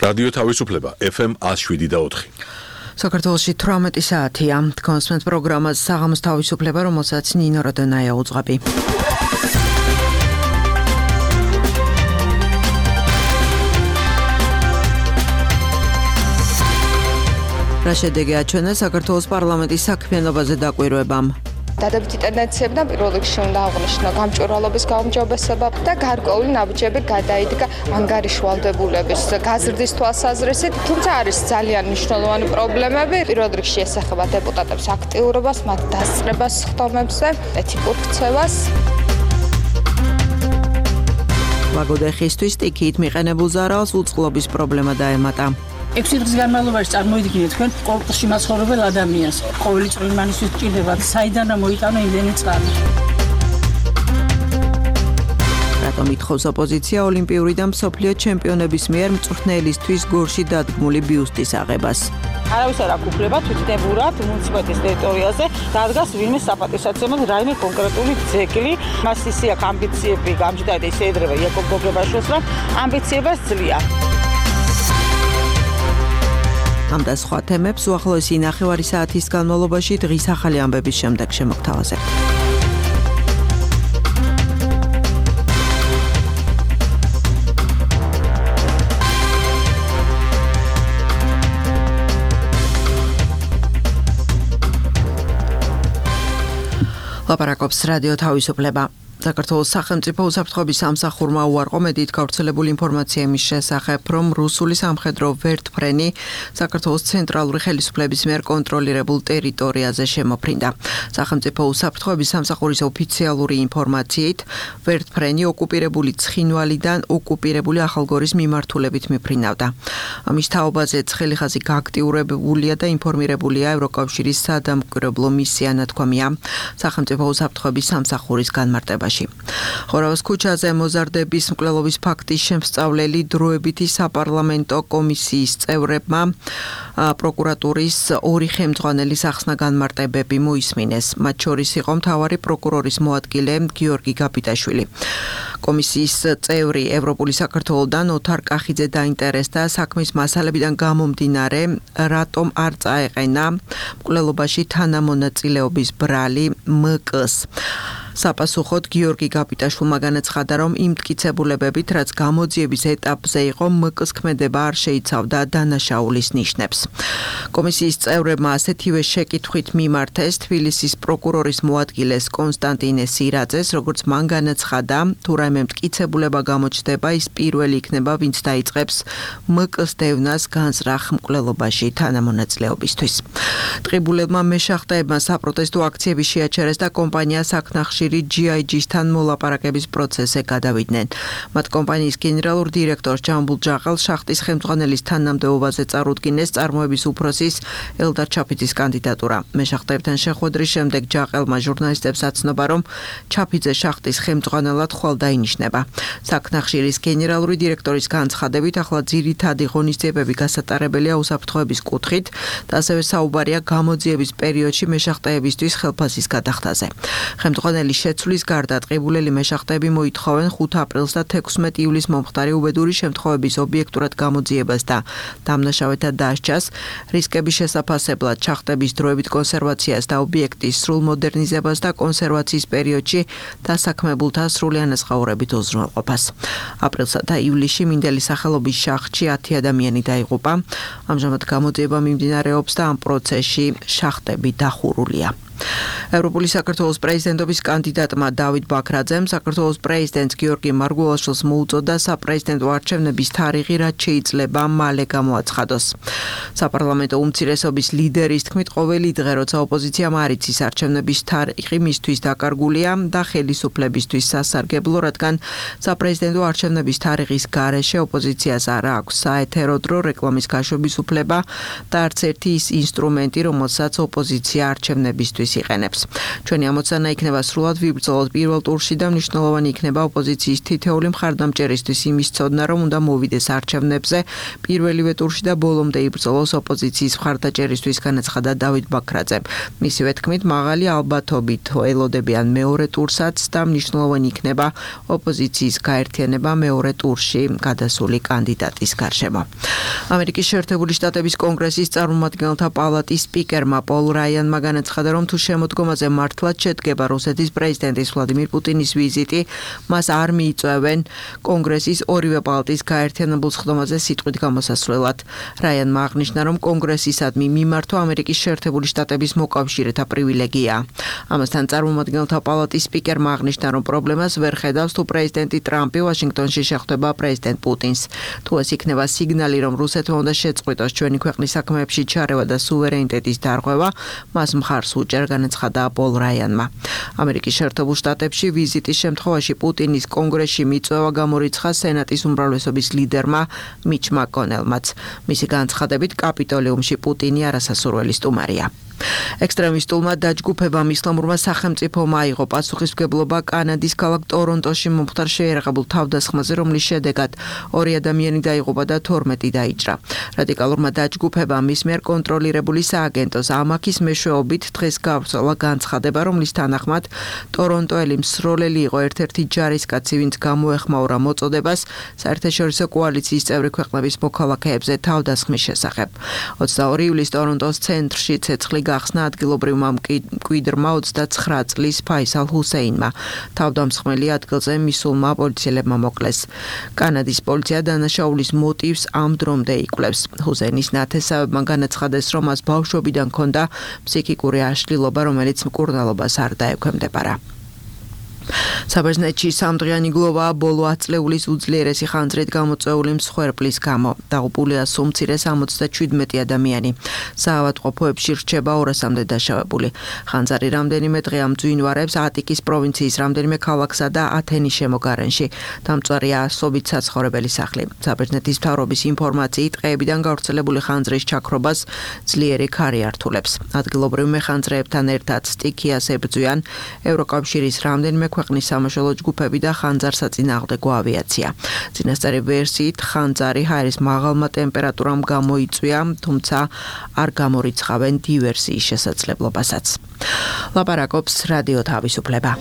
რადიო თავისუფლება FM 107.4. საქართველოში 18 საათია. კონსმენთ პროგრამას საღამოს თავისუფლება, რომელსაც ნინო როდონაია უძღვები. რა შედეგი აჩვენა საქართველოს პარლამენტის საქმიანობაზე დაკვირვებამ. დადებითი ტენდენციები და პირველ რიგში უნდა აღნიშნო გამჭვირვალობის გაუმჯობესება და გარკვეული ნაბიჯები გადაიდგა ანგარიშვალდებულების გაზრდის თვალსაზრისით, თუმცა არის ძალიან მნიშვნელოვანი პრობლემები. პირველ რიგში ესახება დეპუტატების აქტიურობას, მათ დასწრებას ხდომებზე, ეთიკურ ქცევას. ლაგოდეხისთვის სტიქიით მიყენებულ ზარალს უწყლობის პრობლემა დაემატა. 6 დღის განმავლობაში წარმოიდგინეთ თქვენ კორპუსში მაცხოვრებელ ადამიანს. ყოველი წვრილმანისთვის ჭირდება საიდან მოიტანო იმდენი წყალი. რატომ ითხოვს ოპოზიცია ოლიმპიური და მსოფლიო ჩემპიონების მიერ მწვრთნელისთვის გორში დადგმული ბიუსტის აღებას? არავის არ აქვს უფლება თვითნებურად მუნიციპალიტეტის ტერიტორიაზე დადგას ვინმე საპატივსაცემად რაიმე კონკრეტული ძეგლი. მას ისე აქვს ამბიციები გამჯდა და ისე ედრება იაკობ გოგებაშვილს, რომ ამბიციებას ძლია. ამ და სხვა თემებს უახლოესი ნახევარი საათის განმავლობაში დღის ახალი ამბების შემდეგ შემოგთავაზებთ. ლაპარაკობს რადიო თავისუფლება. საქართველოს სახელმწიფო უსაფრთხოების სამსახურმა უარყო მედიით გავრცელებული ინფორმაცია იმის შესახებ, რომ რუსული სამხედრო ვერტფრენი საქართველოს ცენტრალური ხელისუფლების მიერ კონტროლირებულ ტერიტორიაზე შემოფრინდა. სახელმწიფო უსაფრთხოების სამსახურის ოფიციალური ინფორმაციით, ვერტფრენი ოკუპირებული ცხინვალიდან ოკუპირებული ახალგორის მიმართულებით მიფრინავდა. ამის თაობაზე ცხელი ხაზი გააქტიურებულია და ინფორმირებულია ევროკავშირის სადამკვირვებლო მისია, ნათქვამია სახელმწიფო უსაფრთხოების სამსახურის განმარტებაში. ხორავის ქუჩაზე მოზარდების მკვლელობის ფაქტის შემსწავლელი დროებითი საპარლამენტო კომისიის წევრებმა პროკურატურის 2 ხელმძღვანელის ახსნა განმარტებები მოისმინეს. მათ შორის იყო მთავარი პროკურორის მოადგილე გიორგი გაბიტაშვილი. კომისიის წევრი ევროპული საქართველოდან ოთარ კახიძე დაინტერესდა საქმის მასალებიდან გამომდინარე, რატომ არ წაეყენა მკვლელობაში თანამონაწილეობის ბრალი ՄԿ-ს. საპასუხოდ გიორგი გაბიტაშვილმა განაცხადა, რომ იმ მტკიცებულებებით, რაც გამოძიების ეტაპზე იყო, ՄԿ-ს ქმედება არ შეიცავდა დანაშაულის ნიშნებს. კომისიის წევრებმა ასეთივე შეკითხვით მიმართეს თბილისის პროკურორის მოადგილეს კონსტანტინე სირაძეს, როგორც მან განაცხადა, თუ რაიმე მტკიცებულება გამოჩნდება, ის პირველი იქნება, ვინც დაიწყებს ՄԿ-ს დევნას განზრახ მკვლელობაში თანამონაწილეობისთვის. ტყიბულებმა მეშახტეებმა საპროტესტო აქციები შეაჩერეს და კომპანია საკნახში GIG-სთან მოლაპარაკების პროცესზე გადავიდნენ. მათ კომპანიის გენერალურ დირექტორ ჯამბულ ჯაყელს შახტის ხელმძღვანელის თანამდებობაზე წარუდგინეს წარმოების უფროსის ელდარ ჩაფიძის კანდიდატურა. მეშახტეებთან შეხვედრის შემდეგ ჯაყელმა ჟურნალისტებს აცნობა, რომ ჩაფიძე შახტის ხელმძღვანელად ხვალ დაინიშნება. საკნახშირის გენერალური დირექტორის განცხადებით, ახლა ძირითადი ღონისძიებები გასატარებელია უსაფრთხოების კუთხით და ასევე საუბარია გამოძიების პერიოდში მეშახტეებისთვის ხელფასის გადახდაზე. ხელმძღვანელი შეცვლის გარდა ტყიბულელი მეშახტეები მოითხოვენ 5 აპრილს და 16 ივლისს მომხდარი უბედური შემთხვევების ობიექტურად გამოძიებას და დამნაშავეთა დასჯას, რისკების შესაფასებლად შახტების დროებით კონსერვაციას და ობიექტის სრულ მოდერნიზებას და კონსერვაციის პერიოდში დასაქმებულთა სრული ანაზღაურებით უზრუნველყოფას. აპრილსა და ივლისში მინდელის სახელობის შახტში 10 ადამიანი დაიღუპა. ამჟამად გამოძიება მიმდინარეობს და ამ პროცესში შახტები დახურულია. ევროპული საქართველოს პრეზიდენტობის კანდიდატმა დავით ბაქრაძემ საქართველოს პრეზიდენტს გიორგი მარგველაშვილს მოუწოდა საპრეზიდენტო არჩევნების თარიღი, რაც შეიძლება მალე გამოაცხადოს. საპარლამენტო უმცირესობის ლიდერის თქმით, ყოველი დღე, როცა ოპოზიციამ არ იცის არჩევნების თარიღი, მისთვის დაკარგულია და ხელისუფლებისთვის სასარგებლო, რადგან საპრეზიდენტო არჩევნების თარიღის გარეშე ოპოზიციას არ აქვს საეთერო დრო, რეკლამის გაშვების უფლება და არც ერთი ის ინსტრუმენტი, რომელსაც ოპოზიცია არჩევნებისთვის მიზნისთვის იყენებს. ჩვენი ამოცანა იქნება სრულად ვიბრძოლოთ პირველ ტურში და მნიშვნელოვანი იქნება ოპოზიციის თითეული მხარდამჭერისთვის იმის ცოდნა, რომ უნდა მოვიდეს არჩევნებზე პირველივე ტურში და ბოლომდე იბრძოლოს ოპოზიციის მხარდაჭერისთვის, განაცხადა დავით ბაქრაძე. მისივე თქმით, მაღალი ალბათობით ელოდებიან მეორე ტურსაც და მნიშვნელოვანი იქნება ოპოზიციის გაერთიანება მეორე ტურში გადასული კანდიდატის გარშემო. ამერიკის შეერთებული შტატების კონგრესის წარმომადგენელთა პალატის სპიკერმა პოლ რაიანმა განაცხადა, რომ თუ შემოდგომაზე მართლაც შედგება რუსეთის პრეზიდენტის ვლადიმირ პუტინის ვიზიტი, მას არ მიიწვევენ კონგრესის ორივე პალატის გაერთიანებულ სხდომაზე სიტყვით გამოსასვლელად. რაიანმა აღნიშნა, რომ კონგრესისადმი მიმართვა ამერიკის შეერთებული შტატების მოკავშირეთა პრივილეგია. ამასთან წარმომადგენელთა პალატის სპიკერმა აღნიშნა, რომ პრობლემას ვერ ხედავს, თუ პრეზიდენტი ტრამპი ვაშინგტონში შეხვდება პრეზიდენტ პუტინს. თუ ეს იქნება სიგნალი, რომ რუსეთმა უნდა შეწყვიტოს ჩვენი ქვეყნის საქმეებში ჩარევა და სუვერენიტეტის დარღვევა, მას მხარს უჭერ, განაცხადა პოლ რაიანმა. ამერიკის შეერთებულ შტატებში ვიზიტის შემთხვევაში პუტინის კონგრესში მიწვევა გამორიცხა სენატის უმრავლესობის ლიდერმა მიჩ მაკონელმაც. მისი განცხადებით, კაპიტოლიუმში პუტინი არასასურველი სტუმარია. ექსტრემისტულმა დაჯგუფებამ ისლამურმა სახელმწიფომ აიღო პასუხისმგებლობა კანადის ქალაქ ტორონტოში მომხდარ შეიარაღებულ თავდასხმაზე, რომლის შედეგად 2 ადამიანი დაიღუპა და 12 დაიჭრა. რადიკალურმა დაჯგუფებამ მის მიერ კონტროლირებული სააგენტოს ამაქის მეშვეობით დღეს გავრცელა განცხადება, რომლის თანახმად ტორონტოელი მსროლელი იყო ერთ-ერთი ჯარისკაცი, ვინც გამოეხმაურა მოწოდებას საერთაშორისო კოალიციის წევრი ქვეყნების მოქალაქეებზე თავდასხმის შესახებ. 22 ივლისს ტორონტოს ცენტრში ცეცხლი გახსნა ადგილობრივმა მკვიდრმა 29 წლის ფაისალ ჰუსეინმა. თავდამსხმელი ადგილზე მისულმა პოლიციელებმა მოკლეს. კანადის პოლიცია დანაშაულის მოტივს ამ დრომდე იკვლევს. ჰუსეინის ნათესავებმა განაცხადეს, რომ მას ბავშვობიდან ჰქონდა ფსიქიკური აშლილობა, რომელიც მკურნალობას არ დაექვემდებარა. საბერძნეთში სამდღიანი გლოვაა ბოლო 10 წლეულის უძლიერესი ხანძრით გამოწვეული მსხვერპლის გამო. დაღუპულია სულ მცირე 77 ადამიანი. საავადმყოფოებში რჩება 200-მდე დაშავებული. ხანძარი რამდენიმე დღე ამძვინვარებს ატიკის პროვინციის რამდენიმე ქალაქსა და ათენის შემოგარენში. დამწვარია ასობით საცხოვრებელი სახლი. საბერძნეთის მთავრობის ინფორმაციით, ტყეებიდან გავრცელებული ხანძრის ჩაქრობას ძლიერი ქარი ართულებს. ადგილობრივ მეხანძრეებთან ერთად სტიქიას ებრძვიან ევროკავშირის რამდენიმე ქვეყნის სამაშველო ჯგუფები და ხანძარსაწინააღმდეგო ავიაცია. წინასწარი ვერსიით ხანძარი ჰაერის მაღალმა ტემპერატურამ გამოიწვია, თუმცა არ გამორიცხავენ დივერსიის შესაძლებლობასაც. ლაპარაკობს რადიო თავისუფლება.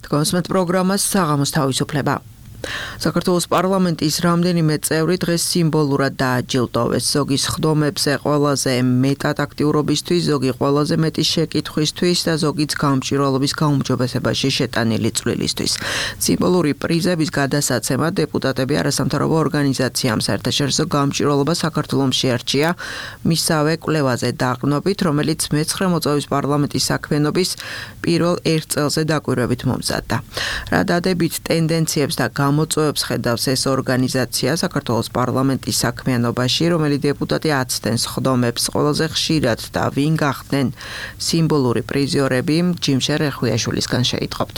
თქვენს პროგრამას საღამოს თავისუფლება. საქართველოს პარლამენტის რამდენიმე წევრი დღეს სიმბოლურად დააჯილდოვეს. ზოგი სხდომებზე ყველაზე მეტად აქტიურობისთვის, ზოგი ყველაზე მეტი შეკითხვისთვის და ზოგიც გამჭვირვალობის გაუმჯობესებაში შეტანილი წვლილისთვის. სიმბოლური პრიზების გადასაცემად დეპუტატები არასამთავრობო ორგანიზაციამ საერთაშორისო გამჭვირვალობა საქართველოს შეარჩია მისავე კვლევაზე დაყრდნობით, რომელიც მე-9 მოწვევის პარლამენტის საქმიანობის პირველ 1 წელზე დაკვირვებით მომზადდა. რა დადებით ტენდენციებს და გამოწვევებს ხედავს ეს ორგანიზაცია საქართველოს პარლამენტის საქმიანობაში, რომელი დეპუტატი აცდენს ხდომებს ყველაზე ხშირად და ვინ გახდნენ სიმბოლური პრიზიორები, ჯიმშე რეხვიაშვილისგან შეიტყობთ.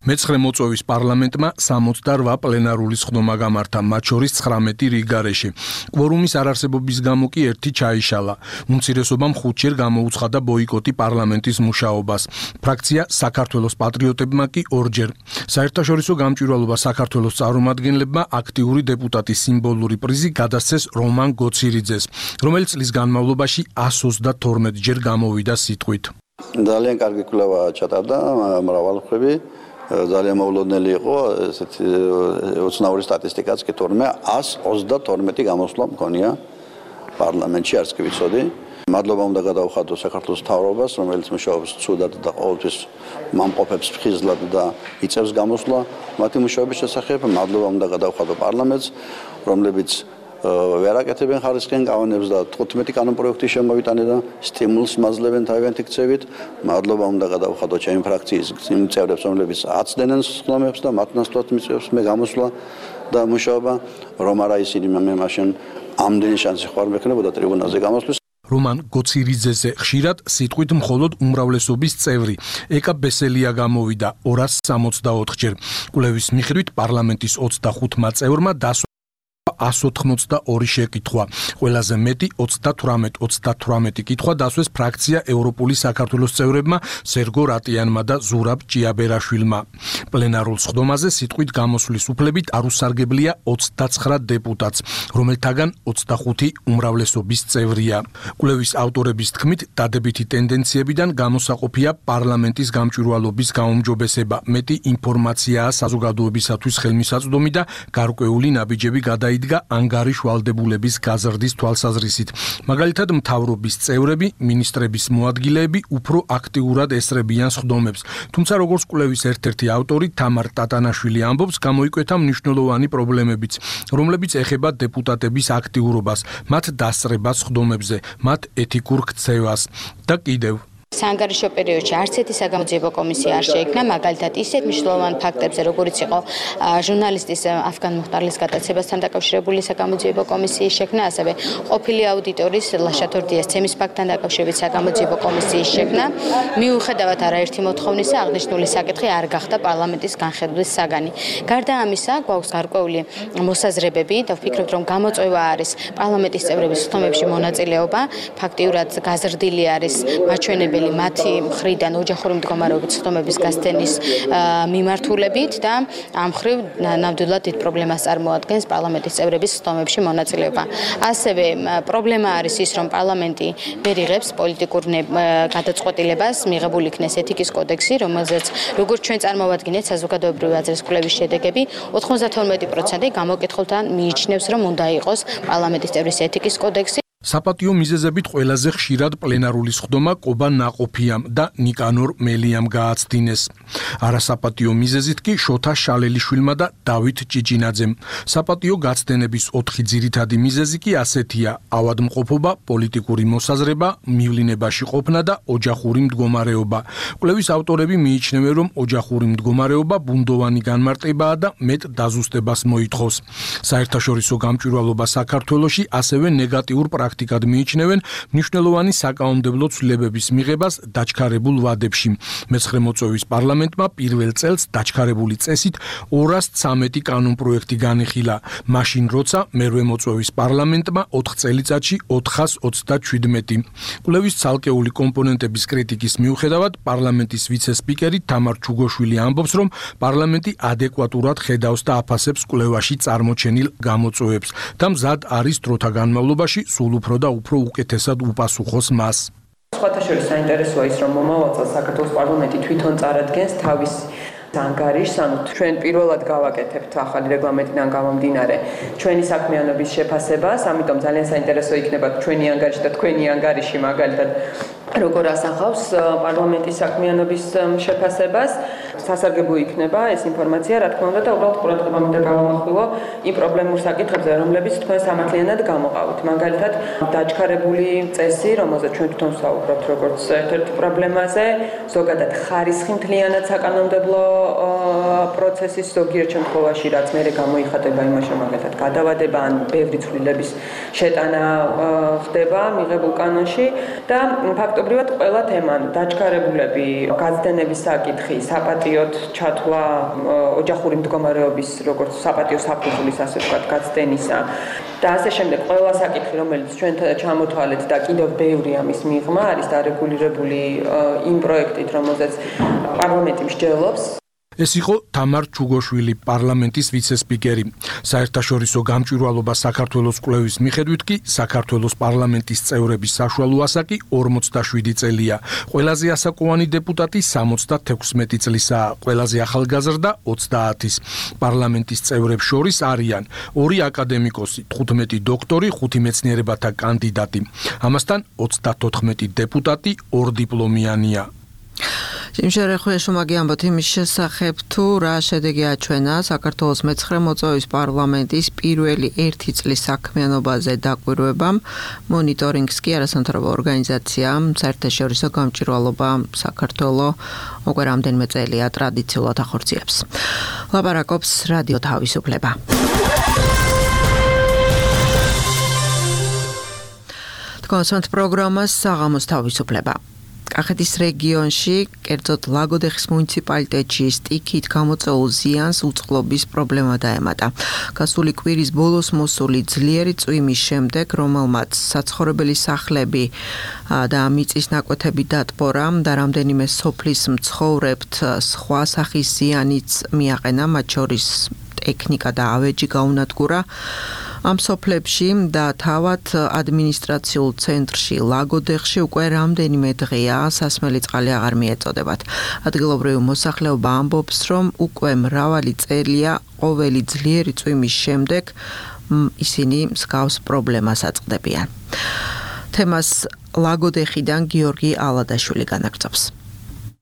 მე-9 მოწვევის პარლამენტმა 68 პლენარული სხდომა გამართა, მათ შორის 19 რიგგარეში. კვორუმის არარსებობის გამო კი ერთი ჩაიშალა. უმცირესობამ 5-ჯერ გამოუცხადა ბოიკოტი პარლამენტის მუშაობას. ფრაქცია საქართველოს პატრიოტებმა კი 2-ჯერ. საერთაშორისო გამჭვირვალობა საქართველოს წარმომადგენლებმა აქტიური დეპუტატის სიმბოლური პრიზი გადასცეს რომან გოცირიძეს, რომელიც წლის განმავლობაში 132-ჯერ გამოვიდა სიტყვით. ძალიან კარგი კვლევა ჩატარდა, მრავალმხრივი. ძალიან მოულოდნელი იყო ესეთი ოცნაური სტატისტიკაც კი თორმე 132 გამოსვლა მქონია პარლამენტში, არც კი ვიცოდი. მადლობა უნდა გადავხადო საქართველოს მთავრობას, რომელიც მუშაობს ცუდად და ყოველთვის მამყოფებს ფხიზლად და იწევს გამოსვლა მათი მუშაობის შესახებ. მადლობა უნდა გადავხადო პარლამენტს, რომლებიც ვერ აკეთებენ ხარისხიან კანონებს და 15 კანონპროექტი შემოვიტანენ და სტიმულს მაძლევენ თავიანთი ქცევით. მადლობა უნდა გადავხადო ჩემი ფრაქციის წევრებს, რომლებიც აცდენენ სხდომებს და მათ ნაცვლად მიწევს მე გამოსვლა და მუშაობა. რომ არა ისინი მე მაშინ ამდენი შანსი ხარ მექნებოდა ტრიბუნალზე გამოსვლის. რომან გოცირიძეზე ხშირად სიტყვით მხოლოდ უმრავლესობის წევრი. ეკა ბესელია გამოვიდა 264-ჯერ. კვლევის მიხედვით პარლამენტის 25 წევრმა 182 შეკითხვა. ყველაზე მეტი 38 კითხვა დასვეს ფრაქცია ევროპული საქართველოს წევრებმა სერგო რატიანმა და ზურაბ ჭიაბერაშვილმა. პლენარულ სხდომაზე სიტყვით გამოსვლის უფლებით არ უსარგებლია 29 დეპუტატს, რომელთაგან 25 უმრავლესობის წევრია. კვლევის ავტორების თქმით, დადებითი ტენდენციებიდან გამოსაყოფია პარლამენტის გამჭვირვალობის გაუმჯობესება, მეტი ინფორმაციაა საზოგადოებისათვის ხელმისაწვდომი და გარკვეული ნაბიჯები იდგა ანგარიშ ვალდებულების გაზრდის თვალსაზრისით. მაგალითად, მთავრობის წევრები, მინისტრების მოადგილეები უფრო აქტიურად ესწრებიან სხდომებს. თუმცა, როგორც კვლევის ერთ-ერთი ავტორი თამარ ტატანაშვილი ამბობს, გამოიკვეთა მნიშვნელოვანი პრობლემებიც, რომლებიც ეხება დეპუტატების აქტიურობას, მათ დასწრებას სხდომებზე, მათ ეთიკურ ქცევას და კიდევ საანგარიშო პერიოდში არც ერთი საგამოძიებო კომისია არ შეიქმნა, მაგალითად ისეთ მნიშვნელოვან ფაქტებზე, როგორც იყო ჟურნალისტის αφგან მუხტარლის გადაცემასთან დაკავშირებული საგამოძიებო კომისიის შექმნა, ასევე ყოფილი აუდიტორის ლაშათორდიას ცემის ფაქტთან დაკავშირებით საგამოძიებო კომისიის შექმნა. მიუხედავად არაერთი მოთხოვნისა, აღნიშნული საკითხი არ გახდა პარლამენტის განხილვის საგანი. გარდა ამისა, გვაქვს გარკვეული მოსაზრებები და ვფიქრობთ, რომ გამოწვევა არის პარლამენტის წევრების სხდომებში მონაწილეობა, ფაქტიურად გაზრდილი არის მაჩვენებელი მათი მხრიდან ოჯახური მდგომარეობის სხდომების გასცემის მიმართულებით და ამ მხრივ ნამდვილად დიდ პრობლემას წარმოადგენს პარლამენტის წევრების სხდომებში მონაწილეობა. ასევე პრობლემა არის ის, რომ პარლამენტი ვერ იღებს პოლიტიკურ გადაწყვეტილებას, მიღებულ იქნეს ეთიკის კოდექსი, რომელზეც როგორც ჩვენ წარმოვადგინეთ საზოგადოებრივი აზრის კვლევის შედეგები, 92% გამოკითხულთან მიიჩნევს, რომ უნდა იყოს პარლამენტის წევრის ეთიკის კოდექსი. საპატიო მიზეზებით ყველაზე ხშირად პლენარული სხდომა კობა ნაყოფიამ და ნიკანორ მელიამ გააცდინეს. არასაპატიო მიზეზით კი შოთა შალელიშვილმა და დავით ჭიჭინაძემ. საპატიო გაცდენების 4 ძირითადი მიზეზი კი ასეთია: ავადმყოფობა, პოლიტიკური მოსაზრება, მივლინებაში ყოფნა და ოჯახური მდგომარეობა. კვლევის ავტორები მიიჩნევენ, რომ ოჯახური მდგომარეობა ბუნდოვანი განმარტებაა და მეტ დაზუსტებას მოითხოვს. საერთაშორისო გამჭვირვალობა საქართველოში ასევე ნეგატიურ პრაქტიკად მიიჩნევენ მნიშვნელოვანი საკანონმდებლო ცვლილებების მიღებას დაჩქარებულ ვადებში. მეცხრე მოწვევის პარლამენტმა პირველ წელს დაჩქარებული წესით 213 კანონპროექტი განიხილა, მაშინ როცა მერვე მოწვევის პარლამენტმა 4 წელიწადში 427. კვლევის ცალკეული კომპონენტების კრიტიკის მიუხედავად, პარლამენტის ვიცე-სპიკერი თამარ ჩუგოშვილი ამბობს, რომ პარლამენტი ადეკვატურად ხედავს და აფასებს კვლევაში წარმოჩენილ გამოწვევებს და მზად არის დროთა განმავლობაში სულ უფრო და უფრო უკეთესად უპასუხოს მას. სხვათა შორის საინტერესოა ის, რომ მომავალ წელს საქართველოს პარლამენტი თვითონ წარადგენს თავის ანგარიშს, ანუ ჩვენ პირველად გავაკეთებთ ახალი რეგლამენტიდან გამომდინარე ჩვენი საქმიანობის შეფასებას, ამიტომ ძალიან საინტერესო იქნება ჩვენი ანგარიში და თქვენი ანგარიში მაგალითად როგორ ასახავს პარლამენტის საქმიანობის შეფასებას. სასარგებლო იქნება ეს ინფორმაცია, რა თქმა უნდა, და უბრალოდ ყურადღება მინდა გავამახვილო იმ პრობლემურ საკითხებზე, რომლებიც თქვენ სამართლიანად გამოყავთ. მაგალითად, დაჩქარებული წესი, რომელზეც ჩვენ თვითონ ვსაუბრობთ როგორც ერთ-ერთ პრობლემაზე, ზოგადად ხარისხი მთლიანად საკანონმდებლო პროცესის ზოგიერთ შემთხვევაში, რაც მერე გამოიხატება იმაში, მაგალითად, გადავადება ან ბევრი ცვლილების შეტანა ხდება მიღებულ კანონში და ფაქტობრივად ყველა თემა, დაჩქარებულები, გაცდენების საკითხი, საპატიოდ ჩათვლა ოჯახური მდგომარეობის როგორც საპატიო საფუძვლის, ასე ვთქვათ, გაცდენისა და ასე შემდეგ, ყველა საკითხი, რომელიც ჩვენ ჩამოთვალეთ და კიდევ ბევრი ამის მიღმა არის დარეგულირებული იმ პროექტით, რომელზეც პარლამენტი მსჯელობს. ეს იყო თამარ ჩუგოშვილი, პარლამენტის ვიცე-სპიკერი. საერთაშორისო გამჭვირვალობა საქართველოს კვლევის მიხედვით კი საქართველოს პარლამენტის წევრების საშუალო ასაკი 47 წელია. ყველაზე ასაკოვანი დეპუტატი 76 წლისაა, ყველაზე ახალგაზრდა 30-ის. პარლამენტის წევრებს შორის არიან 2 აკადემიკოსი, 15 დოქტორი, 5 მეცნიერებათა კანდიდატი. ამასთან 34 დეპუტატი 2 დიპლომიანია. სიმშერე ხვიაშომაგი ამბობთ იმის შესახებ, თუ რა შედეგი აჩვენა საქართველოს მე-9 მოწვევის პარლამენტის პირველი 1 წლის საქმიანობაზე დაკვირვებამ. მონიტორინგს კი არასამთავრობო ორგანიზაციამ საერთაშორისო გამჭვირვალობა საქართველო უკვე რამდენიმე წელია ტრადიციულად ახორციელებს. ლაპარაკობს რადიო თავისუფლება. კონსულტ პროგრამას საღამოს თავისუფლება. კახეთის რეგიონში, კერძოდ ლაგოდეხის მუნიციპალიტეტში სტიქით გამოწვეულ ზიანს უწყლობის პრობლემა დაემატა. გასული კვირის ბოლოს მოსული ძლიერი წვიმის შემდეგ, რომელმაც საცხოვრებელი სახლები და მიწის ნაკვეთები დატბორა და რამდენიმე სოფლის მცხოვრებთ სხვა სახის ზიანიც მიაყენა, მათ შორის ტექნიკა და ავეჯი გაუნადგურა. ამ სოფლებში და თავად ადმინისტრაციულ ცენტრში ლაგოდეხში უკვე რამდენიმე დღეა სასმელი წყალი აღარ მიეწოდებათ. ადგილობრივი მოსახლეობა ამბობს, რომ უკვე მრავალი წელია ყოველი ძლიერი წვიმის შემდეგ ისინი მსგავს პრობლემას აწყდებიან. თემას ლაგოდეხიდან გიორგი ალადაშვილი განაგრძობს.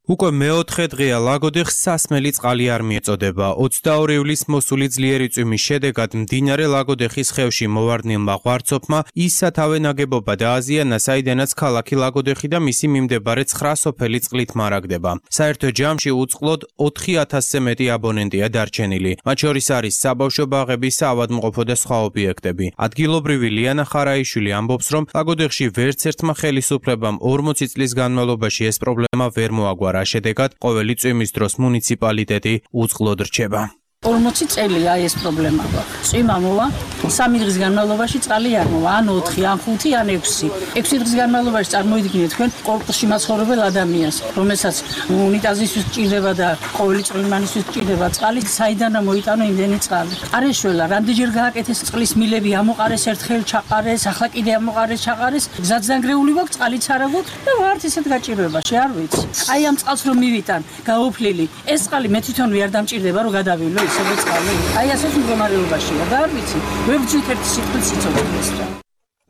უკვე მეოთხე დღეა ლაგოდეხს სასმელი წყალი არ მიეწოდება. 22 ივლისს მოსული ძლიერი წვიმის შედეგად მდინარე ლაგოდეხის ხევში მოვარდნილმა ღვარცოფმა ის სათავე ნაგებობა დააზიანა, საიდანაც ქალაქი ლაგოდეხი და მისი მიმდებარე 9 სოფელი წყლით მარაგდება. საერთო ჯამში უწყლოდ 4000-ზე მეტი აბონენტია დარჩენილი. მათ შორის არის საბავშვო ბაღები, საავადმყოფო და სხვა ობიექტები. ადგილობრივი ლიანა ხარაიშვილი ამბობს, რომ ლაგოდეხში ვერც ერთმა ხელისუფლებამ 40 წლის განმავლობაში ეს პრობლემა ვერ მოაგვარა. შედეგად ყოველი წვიმის დროს მუნიციპალიტეტი უწყლოდ რჩება. 40 წელია ეს პრობლემა. წვიმა მოვა, 3 დღის განმავლობაში წყალი არ მოვა, ან 4, ან 5, ან 6. 6 დღის განმავლობაში წარმოიდგინეთ თქვენ კორპუსში მაცხოვრებელ ადამიანს, რომელსაც უნიტაზისთვის სჭირდება და ყოველი წვიმანისთვის სჭირდება წყალი, საიდანა მოიტანო იმდენი წყალი. არ ეშველა, რამდენჯერ გააკეთეს წყლის მილები, ამოყარეს ერთხელ ჩაყარეს, ახლა კიდე ამოყარეს ჩაყარეს, გზაც დანგრეული გვაქვს, წყალიც არ აგვაქვს და ვართ ისეთ გაჭირვებაში, არ ვიცი. აი ამ წყალს რომ მივიტან, გაუფლილი, ეს წყალი მე თვითონვე არ დამჭირდება რომ გადავივლო. აი ასეთ მდგომარეობაშია და არ ვიცი, ვერ ვძვით ერთი სიტყვით სიცოცხლეს რა.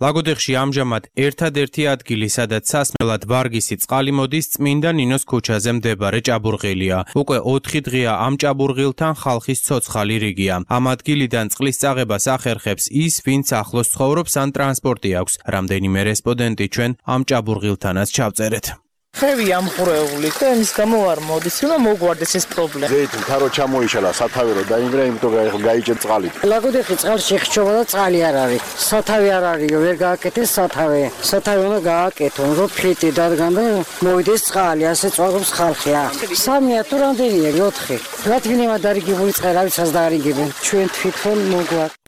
ლაგოდეხში ამჟამად ერთადერთი ადგილი, სადაც სასმელად ვარგისი წყალი მოდის, წმინდა ნინოს ქუჩაზე მდებარე ჭაბურღილია. უკვე 4 დღეა ამ ჭაბურღილთან ხალხის ცოცხალი რიგია. ამ ადგილიდან წყლის წაღებას ახერხებს ის, ვინც ახლოს ცხოვრობს ან ტრანსპორტი აქვს. რამდენიმე რესპონდენტი ჩვენ ამ ჭაბურღილთანაც ჩავწერეთ. ხევი ამღვრეული და იმის გამო არ მოდის, უნდა მოგვარდეს ეს პრობლემა. ზეით თარო ჩამოიშალა, სათავე რო დაინგრა, იმიტომ გაიჭერ წყალი. ლაგოდეხი წყალში ხჩობა და წყალი არ არის. სათავე არ არისო, ვერ გააკეთეს სათავე. სათავე უნდა გააკეთონ, რომ ფლიტი დადგან და მოვიდეს წყალი, ასე წვაგობს ხალხი. 3-ია თუ რამდენია, 4. რადგანაც დარიგებული წყერავიცას დაარიგებენ. ჩვენ თვითონ მოგვარდა.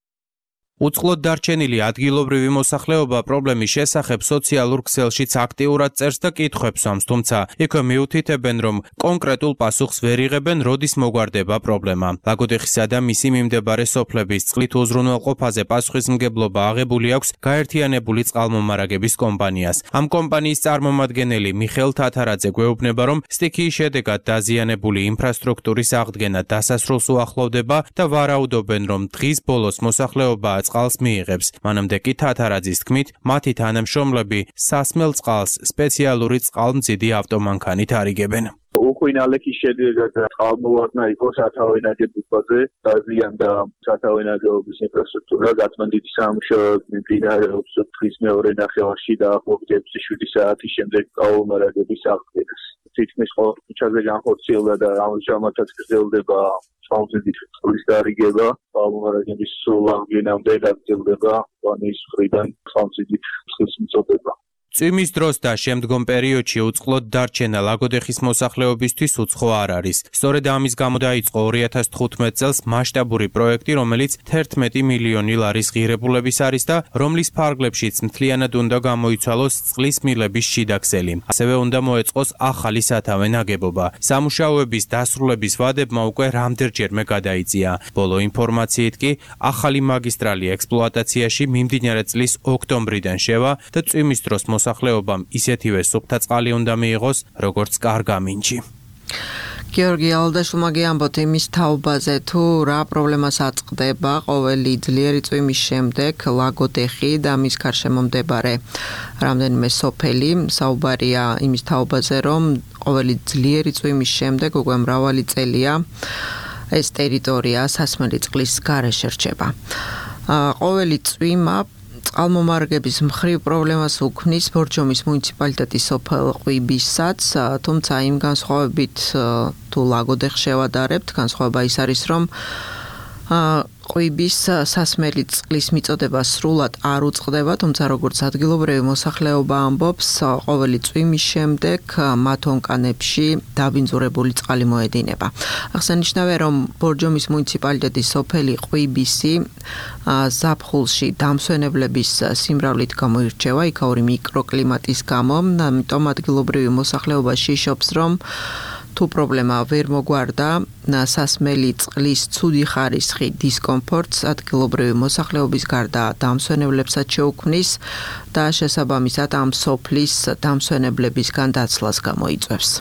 უწყლოდ დარჩენილი ადგილობრივი მოსახლეობა პრობლემის შესახებ სოციალურ ქსელშიც აქტიურად წერს და კითხვებს ამს, თუმცა იქვე მიუთითებენ, რომ კონკრეტულ პასუხს ვერ იღებენ, როდის მოგვარდება პრობლემა. ლაგოდეხისა და მისი მიმდებარე სოფლების წყლით უზრუნველყოფაზე პასუხისმგებლობა აღებული აქვს გაერთიანებული წყალმომარაგების კომპანიას. ამ კომპანიის წარმომადგენელი მიხეილ თათარაძე გვეუბნება, რომ სტიქიის შედეგად დაზიანებული ინფრასტრუქტურის აღდგენა დასასრულს უახლოვდება და ვარაუდობენ, რომ დღის ბოლოს მოსახლეობა წყალს მიიღებს. მანამდე კი თათარაძის თქმით, მათი თანამშრომლები სასმელ წყალს სპეციალური წყალმცდიდი ავტომანქანით არიგებენ. უხვინალექი შედეგად წყალმოვარდნა იყო სათავე ნაგებობაზე, დაზიანდა სათავე ნაგებობის ინფრასტრუქტურა, გაწმენდითი სამუშაოები მიმდინარეობს დღის მეორე ნახევარში და ახლობით 7 საათის შემდეგ წყალმომარაგების აღდგენას. თითქმის ყოველ ქუჩაზე განხორციელდა და ამჟამადაც გრძელდება წყალმციდით წყლის დარიგება, წყალმომარაგების სრულ აღდგენამდე გაგრძელდება კომპანიის მხრიდან წყალმციდით წყლის მიწოდება. წვიმის დროს და შემდგომ პერიოდში უწყლოდ დარჩენა ლაგოდეხის მოსახლეობისთვის უცხო არ არის. სწორედ ამის გამო დაიწყო 2015 წელს მასშტაბური პროექტი, რომელიც 11 მილიონი ლარის ღირებულების არის და რომლის ფარგლებშიც მთლიანად უნდა გამოიცვალოს წყლის მილების შიდა ქსელი. ასევე უნდა მოეწყოს ახალი სათავე ნაგებობა. სამუშაოების დასრულების ვადებმა უკვე რამდენჯერმე გადაიწია. ბოლო ინფორმაციით კი ახალი მაგისტრალი ექსპლუატაციაში მიმდინარე წლის ოქტომბრიდან შევა და წვიმის დროს მოსახლეობამ ისეთივე სუფთა წყალი უნდა მიიღოს, როგორც კარგ ამინჯი. გიორგი ალადაშვილმა გიამბოთ იმის თაობაზე, თუ რა პრობლემას აწყდება ყოველი ძლიერი წვიმის შემდეგ ლაგოდეხი და მის გარშემო მდებარე რამდენიმე სოფელი. საუბარია იმის თაობაზე, რომ ყოველი ძლიერი წვიმის შემდეგ უკვე მრავალი წელია ეს ტერიტორია სასმელი წყლის გარეშე რჩება. ყოველი წვიმა წყალმომარაგების მხრივ პრობლემას უქმნის ბორჯომის მუნიციპალიტეტის სოფელ ყვიბისაც, თუმცა იმ განსხვავებით თუ ლაგოდეხს შევადარებთ, განსხვავება ის არის, რომ ყვიბის სასმელი წყლის მიწოდება სრულად არ უწყდება, თუმცა როგორც ადგილობრივი მოსახლეობა ამბობს, ყოველი წვიმის შემდეგ მათ ონკანებში დაბინძურებული წყალი მოედინება. აღსანიშნავია, რომ ბორჯომის მუნიციპალიტეტის სოფელი ყვიბისი ზაფხულში დამსვენებლების სიმრავლით გამოირჩევა იქაური მიკროკლიმატის გამო, ამიტომ ადგილობრივი მოსახლეობა შიშობს, რომ თუ პრობლემა ვერ მოგვარდა სასმელი წყლის ცუდი ხარისხი დისკომფორტს ადგილობრივი მოსახლეობის გარდა დამსვენებლებსაც შეუქმნის და შესაბამისად ამ სოფლის დამსვენებლებისგან დაცლას გამოიწვევს.